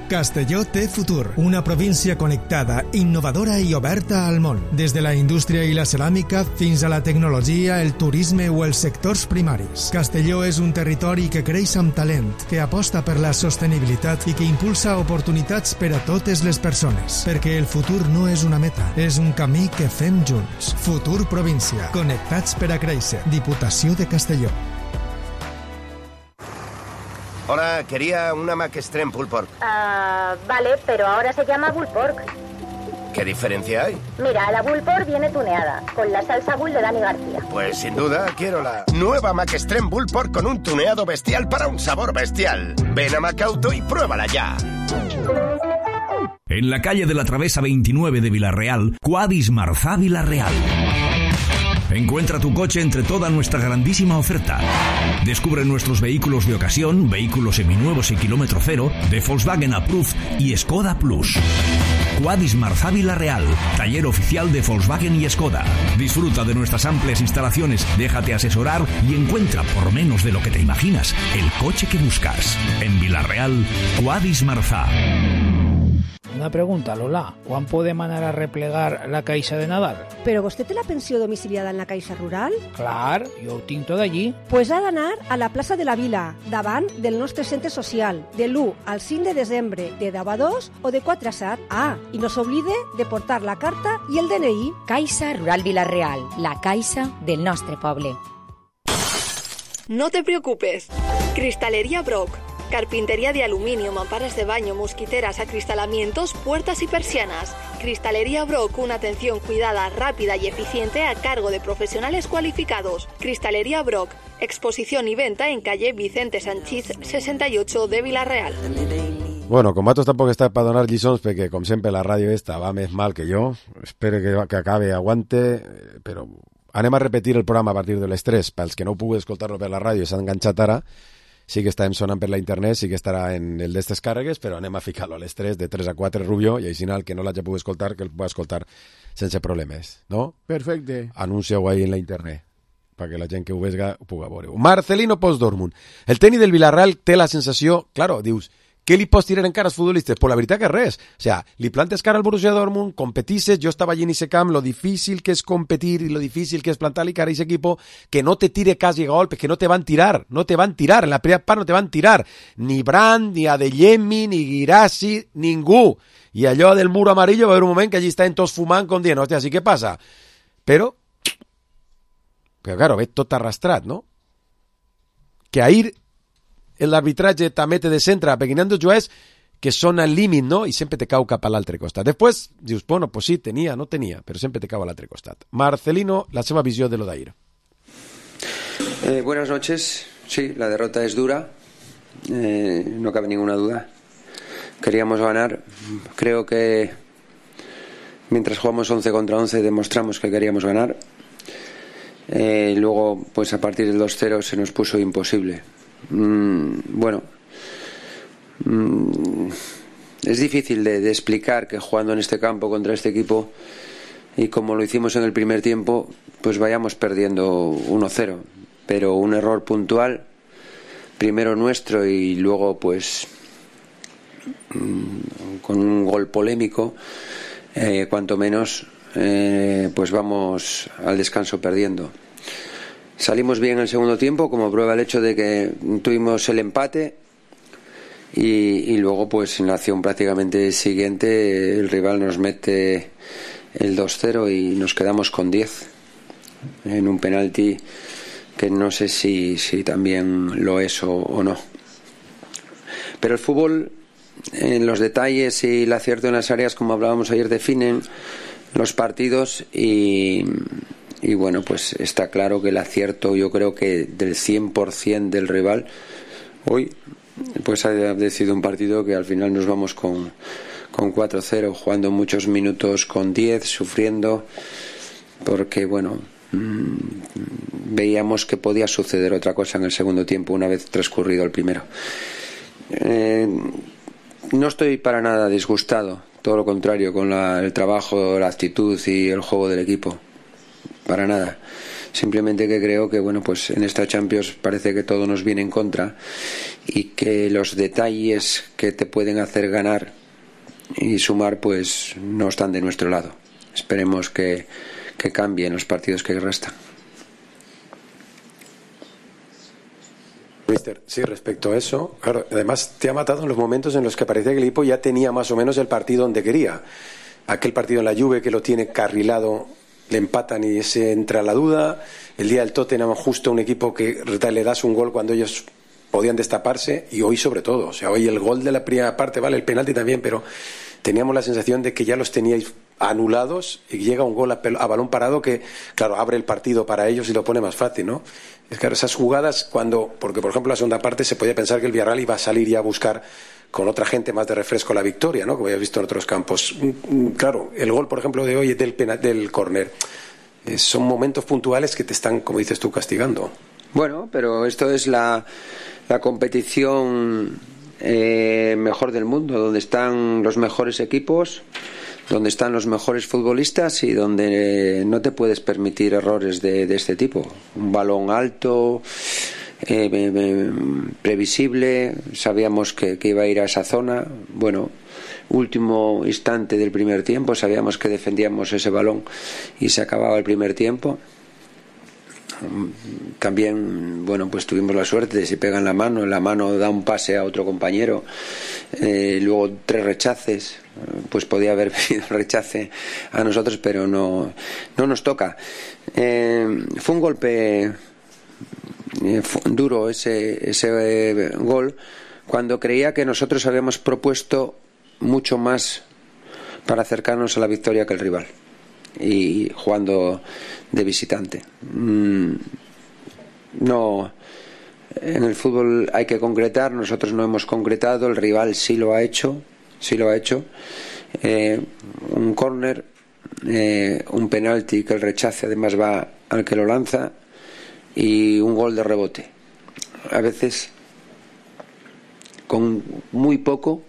Castelló té futur, una província connectada, innovadora i oberta al món. Des de la indústria i la ceràmica fins a la tecnologia, el turisme o els sectors primaris. Castelló és un territori que creix amb talent, que aposta per la sostenibilitat i que impulsa oportunitats per a totes les persones. Perquè el futur no és una meta, és un camí que fem junts. Futur província, connectats per a créixer. Diputació de Castelló. Hola, quería una Mac Extreme Pulled Pork. Vale, pero ahora se llama Pulled Pork. ¿Qué diferencia hay? Mira, la Bull Por viene tuneada, con la salsa Bull de Dani García. Pues sin duda quiero la nueva McExtreme Bull Por con un tuneado bestial para un sabor bestial. Ven a Macauto y pruébala ya. En la calle de la Travesa 29 de Vilarreal, Quadis Marzá Vilarreal. Encuentra tu coche entre toda nuestra grandísima oferta. Descubre nuestros vehículos de ocasión, vehículos seminuevos y kilómetro cero, de Volkswagen Approved y Skoda Plus. Quadis Marzá Vilarreal, taller oficial de Volkswagen y Skoda. Disfruta de nuestras amplias instalaciones, déjate asesorar y encuentra, por menos de lo que te imaginas, el coche que buscas. En Vilarreal, Quadis Marzá. Una pregunta, Lola. ¿Quan podem anar a replegar la caixa de Nadal? Però vostè té la pensió domiciliada en la Caixa Rural? Clar, jo ho tinc tot allí. Pues ha d'anar a la plaça de la Vila, davant del nostre centre social, de l'1 al 5 de desembre, de 10 a 2 o de 4 a 7. Ah, i no s'oblide de portar la carta i el DNI. Caixa Rural Vilarreal, la caixa del nostre poble. No te preocupes. Cristalería Brock. Carpintería de aluminio, mamparas de baño, mosquiteras, acristalamientos, puertas y persianas. Cristalería Brock, una atención cuidada, rápida y eficiente a cargo de profesionales cualificados. Cristalería Brock, exposición y venta en calle Vicente Sanchís 68 de Vilarreal. Bueno, con Matos tampoc està per donar lliçons perquè, com sempre, la ràdio esta va més mal que jo. Espero que acabe, aguante, però anem a repetir el programa a partir de les 3. Pels que no pugueu escoltar-lo per la ràdio i s'han enganxat ara, sí que estarem sonant per la internet, sí que estarà en el d'estes càrregues, però anem a ficar-lo a les 3, de 3 a 4, Rubio, i així el que no l'hagi pogut escoltar, que el pugui escoltar sense problemes, no? Perfecte. Anuncia-ho ahí en la internet, perquè la gent que ho vega ho pugui veure. Marcelino Post-Dortmund. El tècnic del Villarreal té la sensació, claro, dius, què li pots tirar encara als futbolistes? Pues la veritat que res. O sea, li plantes cara al Borussia Dortmund, competisses, jo estava allí en ese camp, lo difícil que és competir i lo difícil que és plantar-li cara a ese equipo, que no te tire quasi golpes, que no te van tirar, en la primera part no te van tirar, ni Brandt, ni Adeyemi, ni Guirassi, ningú. I allò del muro amarillo va haver un moment que allí estaven tots fumant com dient, hòstia, ¿sí què passa? Però claro, ve tot arrastrat, no? Que ahir l'arbitratge també te descentra, perquè n'hi ha dos jugadors que són al límit, no? I sempre te cau cap a l'altre costat. Després dius, bueno, pues sí, tenia, no tenia, però sempre te cau a l'altre costat. Marcelino, la seva visió de lo d'ahir. Buenas noches. Sí, la derrota es dura, no cabe ninguna duda. Queríamos ganar. Creo que mientras jugamos 11 contra 11 demostramos que queríamos ganar. Luego, pues a partir del 2-0 se nos puso imposible. Bueno, es difícil de explicar que jugando en este campo contra este equipo y como lo hicimos en el primer tiempo, pues vayamos perdiendo 1-0, pero un error puntual, primero nuestro y luego pues con un gol polémico, cuanto menos, pues vamos al descanso perdiendo. Salimos bien en el segundo tiempo, como prueba el hecho de que tuvimos el empate y luego pues en la acción prácticamente siguiente el rival nos mete el 2-0 y nos quedamos con 10 en un penalti que no sé si también lo es o no. Pero el fútbol, en los detalles y el acierto en las áreas, como hablábamos ayer, definen los partidos y bueno, pues está claro que el acierto, yo creo que del 100% del rival hoy pues ha sido un partido que al final nos vamos con 4-0, jugando muchos minutos con 10, sufriendo, porque bueno, veíamos que podía suceder otra cosa en el segundo tiempo una vez transcurrido el primero. No estoy para nada disgustado, todo lo contrario, con el trabajo, la actitud y el juego del equipo. Para nada. Simplemente que creo que bueno, pues en esta Champions parece que todo nos viene en contra y que los detalles que te pueden hacer ganar y sumar pues no están de nuestro lado. Esperemos que cambien los partidos que restan. Mister, sí, respecto a eso, claro, además te ha matado en los momentos en los que parecía que el equipo ya tenía más o menos el partido donde quería. Aquel partido en la Juve que lo tiene carrilado, le empatan y se entra la duda. El día del Tottenham, justo un equipo que le das un gol cuando ellos podían destaparse, y hoy sobre todo. O sea, hoy el gol de la primera parte, vale, el penalti también, pero teníamos la sensación de que ya los teníais anulados y llega un gol a balón parado que, claro, abre el partido para ellos y lo pone más fácil, ¿no? Es que esas jugadas porque por ejemplo en la segunda parte se podía pensar que el Villarreal iba a salir ya a buscar con otra gente más de refresco la victoria, ¿no? Como habías visto en otros campos. Claro, el gol, por ejemplo, de hoy del córner. Son momentos puntuales que te están, como dices tú, castigando. Bueno, pero esto es la competición mejor del mundo, donde están los mejores equipos, donde están los mejores futbolistas y donde no te puedes permitir errores de este tipo. Un balón alto, previsible, sabíamos que iba a ir a esa zona. Bueno, último instante del primer tiempo, sabíamos que defendíamos ese balón y se acababa el primer tiempo. También, bueno, pues tuvimos la suerte de si pega en la mano da un pase a otro compañero, luego 3 rechaces, pues podía haber venido el rechace a nosotros, pero no nos toca. Fue un golpe duro ese gol, cuando creía que nosotros habíamos propuesto mucho más para acercarnos a la victoria que el rival, y jugando de visitante. No, en el fútbol hay que concretar, nosotros no hemos concretado, el rival sí lo ha hecho. Un córner, un penalti que el rechace además va al que lo lanza, y un gol de rebote. A veces con muy poco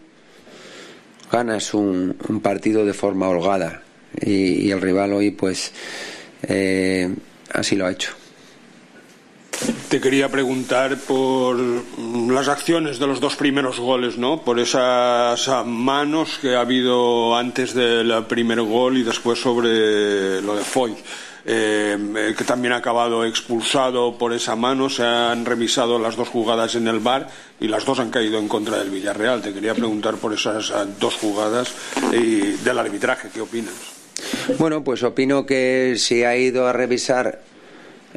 ganas un partido de forma holgada, y el rival hoy pues así lo ha hecho. Te quería preguntar por las acciones de los 2 primeros goles, ¿no? Por esas manos que ha habido antes del primer gol y después sobre lo de Foyt, que también ha acabado expulsado por esa mano. Se han revisado las 2 jugadas en el VAR y las 2 han caído en contra del Villarreal. Te quería preguntar por esas 2 jugadas y del arbitraje, ¿qué opinas? Bueno, pues opino que si ha ido a revisar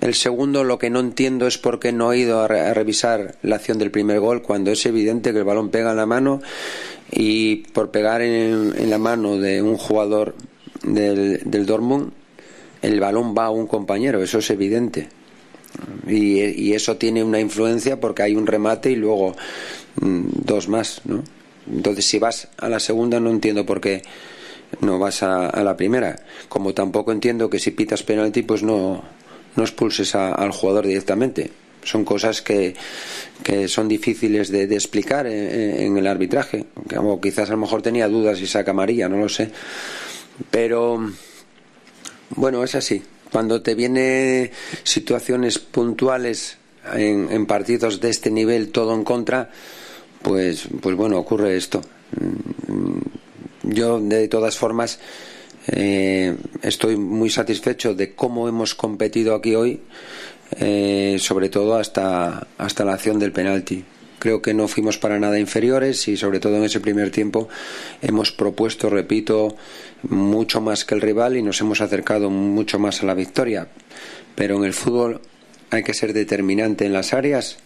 el segundo, lo que no entiendo es por qué no ha ido a revisar la acción del primer gol, cuando es evidente que el balón pega en la mano, y por pegar en la mano de un jugador del Dortmund, el balón va a un compañero, eso es evidente. Y eso tiene una influencia porque hay un remate y luego 2 más, ¿no? Entonces, si vas a la segunda, no entiendo por qué no vas a la primera. Como tampoco entiendo que si pitas penalti, pues no expulses al jugador directamente. Son cosas que son difíciles de explicar en el arbitraje. O quizás a lo mejor tenía dudas y saca amarilla, no lo sé. Pero bueno, es así. Cuando te vienen situaciones puntuales en partidos de este nivel, todo en contra, pues bueno, ocurre esto. Yo, de todas formas, estoy muy satisfecho de cómo hemos competido aquí hoy, sobre todo hasta la acción del penalti. Creo que no fuimos para nada inferiores y sobre todo en ese primer tiempo hemos propuesto, repito, mucho más que el rival y nos hemos acercado mucho más a la victoria. Pero en el fútbol hay que ser determinante en las áreas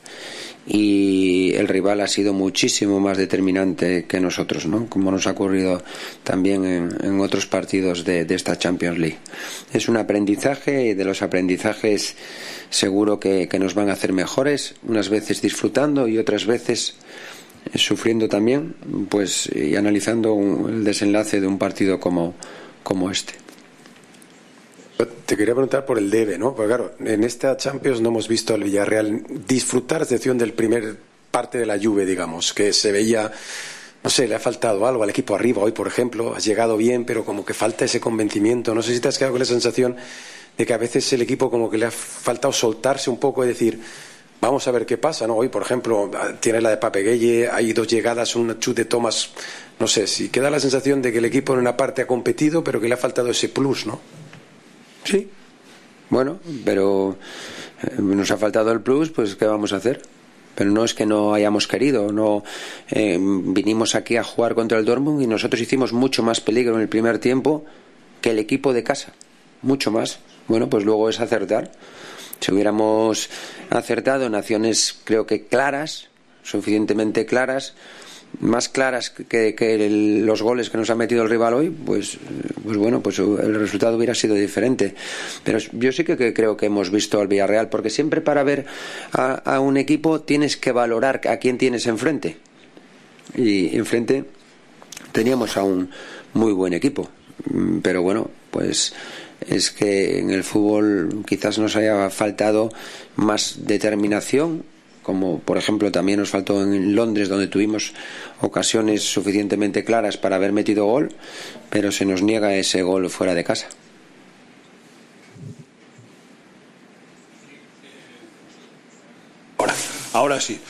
y el rival ha sido muchísimo más determinante que nosotros, ¿no? Como nos ha ocurrido también en otros partidos de esta Champions League. Es un aprendizaje y de los aprendizajes seguro que nos van a hacer mejores, unas veces disfrutando y otras veces sufriendo también, pues, y analizando el desenlace de un partido como este. Te quería preguntar por el debe, ¿no? Porque claro, en esta Champions no hemos visto al Villarreal disfrutar, a excepción del primer parte de la Juve, digamos, que se veía, no sé, le ha faltado algo al equipo arriba. Hoy, por ejemplo, has llegado bien, pero como que falta ese convencimiento. No sé si te has quedado con la sensación de que a veces el equipo como que le ha faltado soltarse un poco y decir, vamos a ver qué pasa, ¿no? Hoy, por ejemplo, tiene la de Papegueye, hay 2 llegadas, un chute de Thomas, no sé, si queda la sensación de que el equipo en una parte ha competido, pero que le ha faltado ese plus, ¿no? Sí, bueno, pero nos ha faltado el plus, pues ¿qué vamos a hacer? Pero no es que no hayamos querido, no vinimos aquí a jugar contra el Dortmund y nosotros hicimos mucho más peligro en el primer tiempo que el equipo de casa, mucho más. Bueno, pues luego es acertar. Si hubiéramos acertado en acciones, creo que claras, suficientemente claras, más claras que los goles que nos ha metido el rival hoy, pues bueno, pues el resultado hubiera sido diferente. Pero yo sí que creo que hemos visto al Villarreal, porque siempre para ver a un equipo tienes que valorar a quién tienes enfrente. Y enfrente teníamos a un muy buen equipo, pero bueno, pues es que en el fútbol quizás nos haya faltado más determinación, como por ejemplo también nos faltó en Londres, donde tuvimos ocasiones suficientemente claras para haber metido gol, pero se nos niega ese gol fuera de casa. Ahora sí.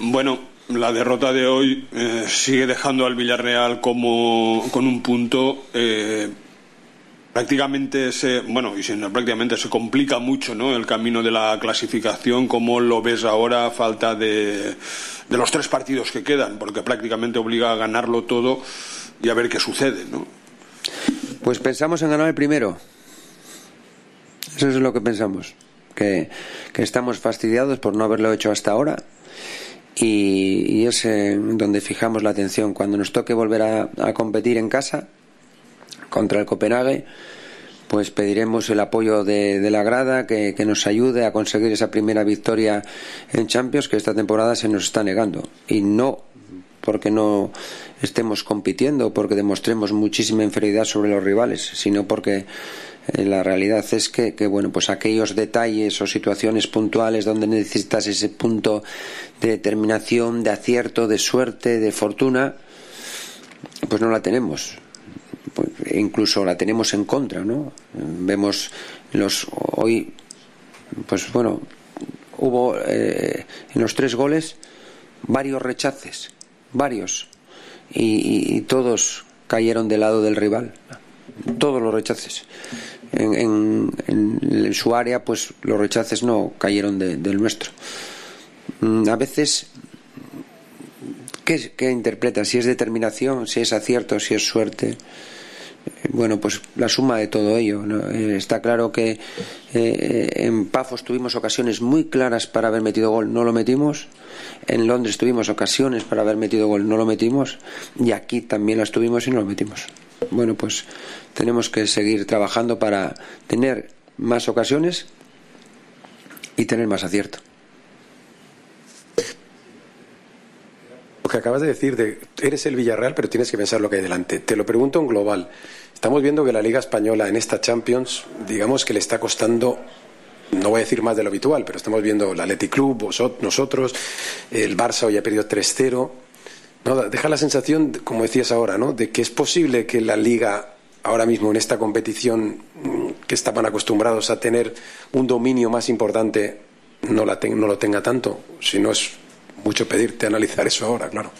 Bueno, la derrota de hoy sigue dejando al Villarreal con un punto. Prácticamente se complica mucho, ¿no?, el camino de la clasificación. ¿Cómo lo ves ahora a falta de los 3 partidos que quedan? Porque prácticamente obliga a ganarlo todo y a ver qué sucede, ¿no? Pues pensamos en ganar el primero. Eso es lo que pensamos, que estamos fastidiados por no haberlo hecho hasta ahora, y es donde fijamos la atención. Cuando nos toque volver a competir en casa contra el Copenhague, pues pediremos el apoyo de la grada, que nos ayude a conseguir esa primera victoria en Champions, que esta temporada se nos está negando. Y no porque no estemos compitiendo, porque demostremos muchísima inferioridad sobre los rivales, sino porque la realidad es que bueno, pues aquellos detalles o situaciones puntuales donde necesitas ese punto de determinación, de acierto, de suerte, de fortuna, pues no la tenemos. Incluso la tenemos en contra, ¿no? Vemos hoy, pues bueno, hubo en los 3 goles varios rechaces, y todos cayeron del lado del rival, todos los rechaces. En su área, pues los rechaces no cayeron del nuestro. A veces, ¿qué interpretas? Si es determinación, si es acierto, si es suerte. Bueno, pues la suma de todo ello, ¿no? Está claro que en Pafos tuvimos ocasiones muy claras para haber metido gol, no lo metimos. En Londres tuvimos ocasiones para haber metido gol, no lo metimos. Y aquí también las tuvimos y no lo metimos. Bueno, pues tenemos que seguir trabajando para tener más ocasiones y tener más acierto. Lo que acabas de decir, eres el Villarreal, pero tienes que pensar lo que hay delante. Te lo pregunto en global. Estamos viendo que la Liga Española en esta Champions, digamos que le está costando, no voy a decir más de lo habitual, pero estamos viendo el Athletic Club, nosotros, el Barça hoy ha perdido 3-0. ¿No? Deja la sensación, como decías ahora, ¿no?, de que es posible que la Liga ahora mismo en esta competición, que estaban acostumbrados a tener un dominio más importante, no lo tenga tanto. Si no, es mucho pedirte analizar eso ahora, claro.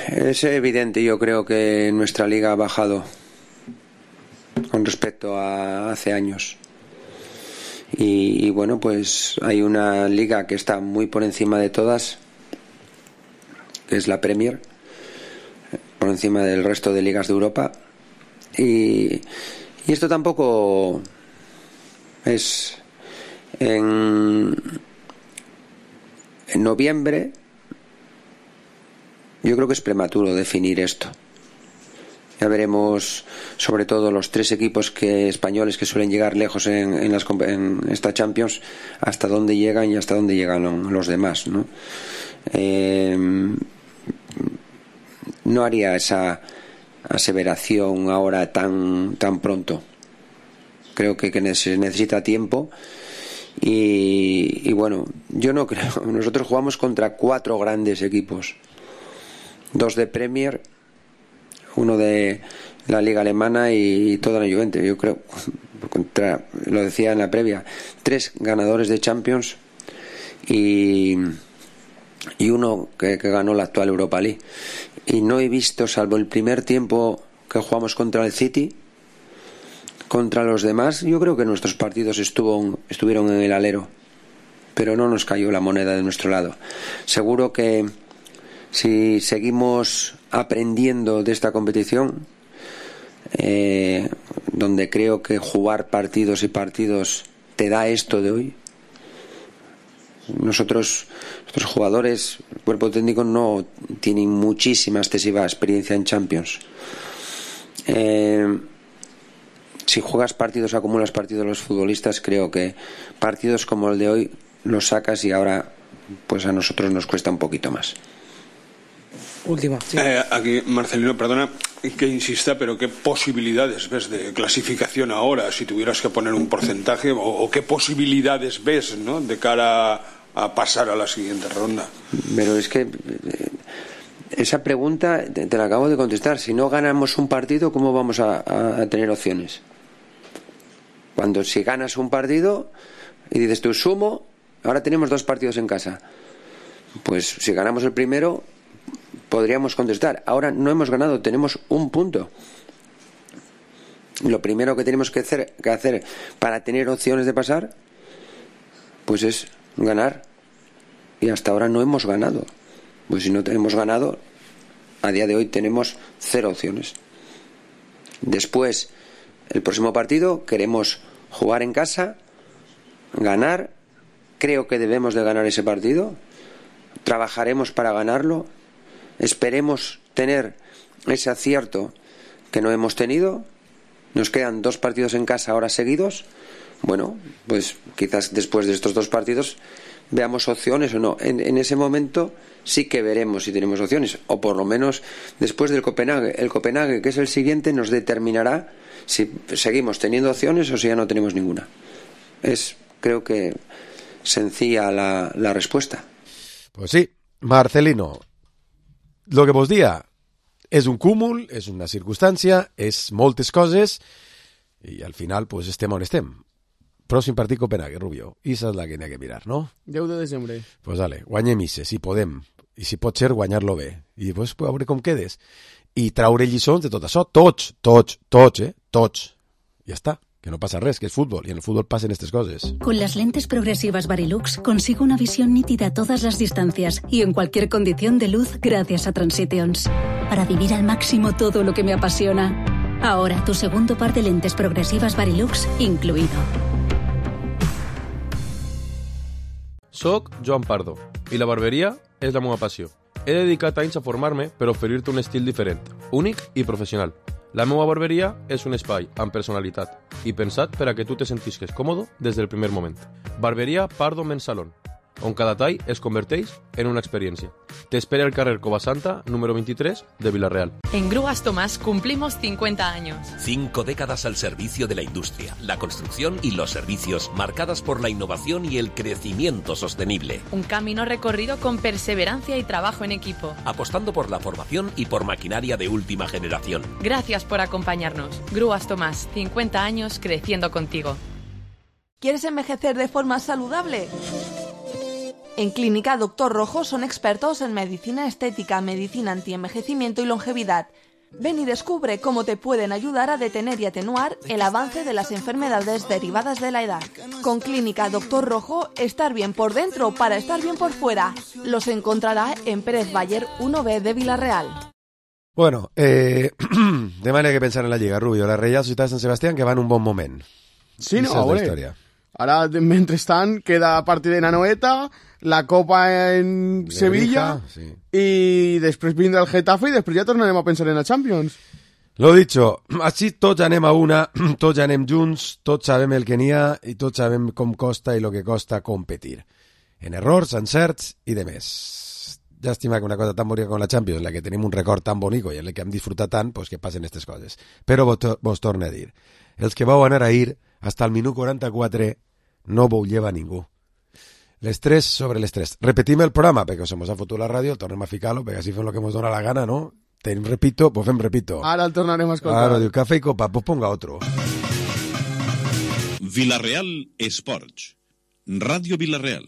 Es evidente, yo creo que nuestra liga ha bajado con respecto a hace años. Y bueno, pues hay una liga que está muy por encima de todas, que es la Premier, por encima del resto de ligas de Europa. Y esto tampoco es en noviembre. Yo creo que es prematuro definir esto. Ya veremos, sobre todo los 3 equipos españoles que suelen llegar lejos en esta Champions, hasta dónde llegan y hasta dónde llegan los demás, ¿no? No haría esa aseveración ahora tan pronto. Creo que se necesita tiempo. Y bueno, yo no creo. Nosotros jugamos contra 4 grandes equipos, 2 de Premier, 1 de la Liga Alemana y toda la Juventus. Yo creo, lo decía en la previa, 3 ganadores de Champions y 1 que ganó la actual Europa League. Y no he visto, salvo el primer tiempo que jugamos contra el City, contra los demás, yo creo que nuestros partidos estuvieron en el alero, pero no nos cayó la moneda de nuestro lado. Seguro que si seguimos aprendiendo de esta competición, donde creo que jugar partidos y partidos te da esto de hoy, nosotros, nuestros jugadores, el cuerpo técnico no tienen muchísima, excesiva experiencia en Champions. Si juegas partidos, acumulas partidos los futbolistas, creo que partidos como el de hoy los sacas y ahora pues a nosotros nos cuesta un poquito más. Última. Sí. Aquí, Marcelino, perdona que insista, pero ¿qué posibilidades ves de clasificación ahora? Si tuvieras que poner un porcentaje, o qué posibilidades ves, ¿no?, de cara a pasar a la siguiente ronda. Pero es que esa pregunta te la acabo de contestar. Si no ganamos un partido, ¿cómo vamos a tener opciones? Si ganas un partido y dices tú, sumo, ahora tenemos 2 partidos en casa. Pues si ganamos el primero, podríamos contestar. Ahora no hemos ganado, tenemos un punto. Lo primero que tenemos que hacer para tener opciones de pasar, pues es ganar. Y hasta ahora no hemos ganado. Pues si no tenemos ganado, a día de hoy tenemos 0 opciones. Después, el próximo partido, queremos jugar en casa, ganar. Creo que debemos de ganar ese partido. Trabajaremos para ganarlo. Esperemos tener ese acierto que no hemos tenido. Nos quedan 2 partidos en casa ahora seguidos. Bueno, pues quizás después de estos 2 partidos veamos opciones o no. En ese momento sí que veremos si tenemos opciones, o por lo menos después del Copenhague. El Copenhague, que es el siguiente, nos determinará si seguimos teniendo opciones o si ya no tenemos ninguna. Es, creo que, sencilla la respuesta. Pues sí, Marcelino, lo que vos dia és un cúmul, és una circumstància, és moltes coses, i al final pues estem on estem. Pròxim partit Copenhague, Rubio. Esa és la que n'hi ha que mirar, no? 10 de desembre. Pues dale, guanyem ise, si podem. I si pot ser, guanyar-lo bé. I després veure com quedes. I traure lliçons de tot això. Tots. Ja està. Que no pasa res, que es fútbol, y en el fútbol pasan estas cosas. Con las lentes progresivas Varilux consigo una visión nítida a todas las distancias y en cualquier condición de luz gracias a Transitions. Para vivir al máximo todo lo que me apasiona. Ahora tu segundo par de lentes progresivas Varilux incluido. Soc Joan Pardo i la barberia és la meva passió. He dedicat anys a formar-me per oferir-te un estil diferent, únic i professional. La meva barberia és un espai amb personalitat i pensat per a que tu te sentisques còmode des del primer moment. Barberia Pardo Men's Salon, on cada tall es converteix en una experiència. Te espera el carrer Covasanta, número 23, de Villarreal. En Grúas Tomás cumplimos 50 años. 5 décadas al servicio de la industria, la construcción y los servicios, marcadas por la innovación y el crecimiento sostenible. Un camino recorrido con perseverancia y trabajo en equipo. Apostando por la formación y por maquinaria de última generación. Gracias por acompañarnos. Grúas Tomás, 50 años creciendo contigo. ¿Quieres envejecer de forma saludable? En Clínica Doctor Rojo son expertos en medicina estética, medicina antienvejecimiento y longevidad. Ven y descubre cómo te pueden ayudar a detener y atenuar el avance de las enfermedades derivadas de la edad. Con Clínica Doctor Rojo, estar bien por dentro para estar bien por fuera. Los encontrará en Pérez Bayer 1B de Villarreal. Bueno, de manera que pensar en la Lliga, Rubio. La Reial Societat de Sant Sebastián que va en un bon moment. Sí, no, hombre. Ara, mentrestant, queda partit de Anoeta, la Copa en Sevilla, sí. I després vindrà el Getafe i després ja tornarem a pensar en la Champions. Lo dicho, així tots anem a una, tots anem junts, tots sabem el que n'hi ha i tots sabem com costa i el que costa competir. En errors, encerts i de més. Llàstima que una cosa tan bonica com la Champions, en la que tenim un record tan bonico i en la que hem disfrutat tant, pues que passen aquestes coses. Però vos torno a dir, els que vau anar a ir hasta el minut 44 no vau llevar ningú. Les 3 sobre les 3. Repetim el programa, perquè se mos ha fotut la ràdio, tornem a ficar-lo, perquè així fem el que mos dona la gana, ¿no? Tenim repito, pues fem repito. Ara el tornarem a escoltar. Ara diu, café y copa, pues ponga otro. Villarreal Esports. Radio Villarreal.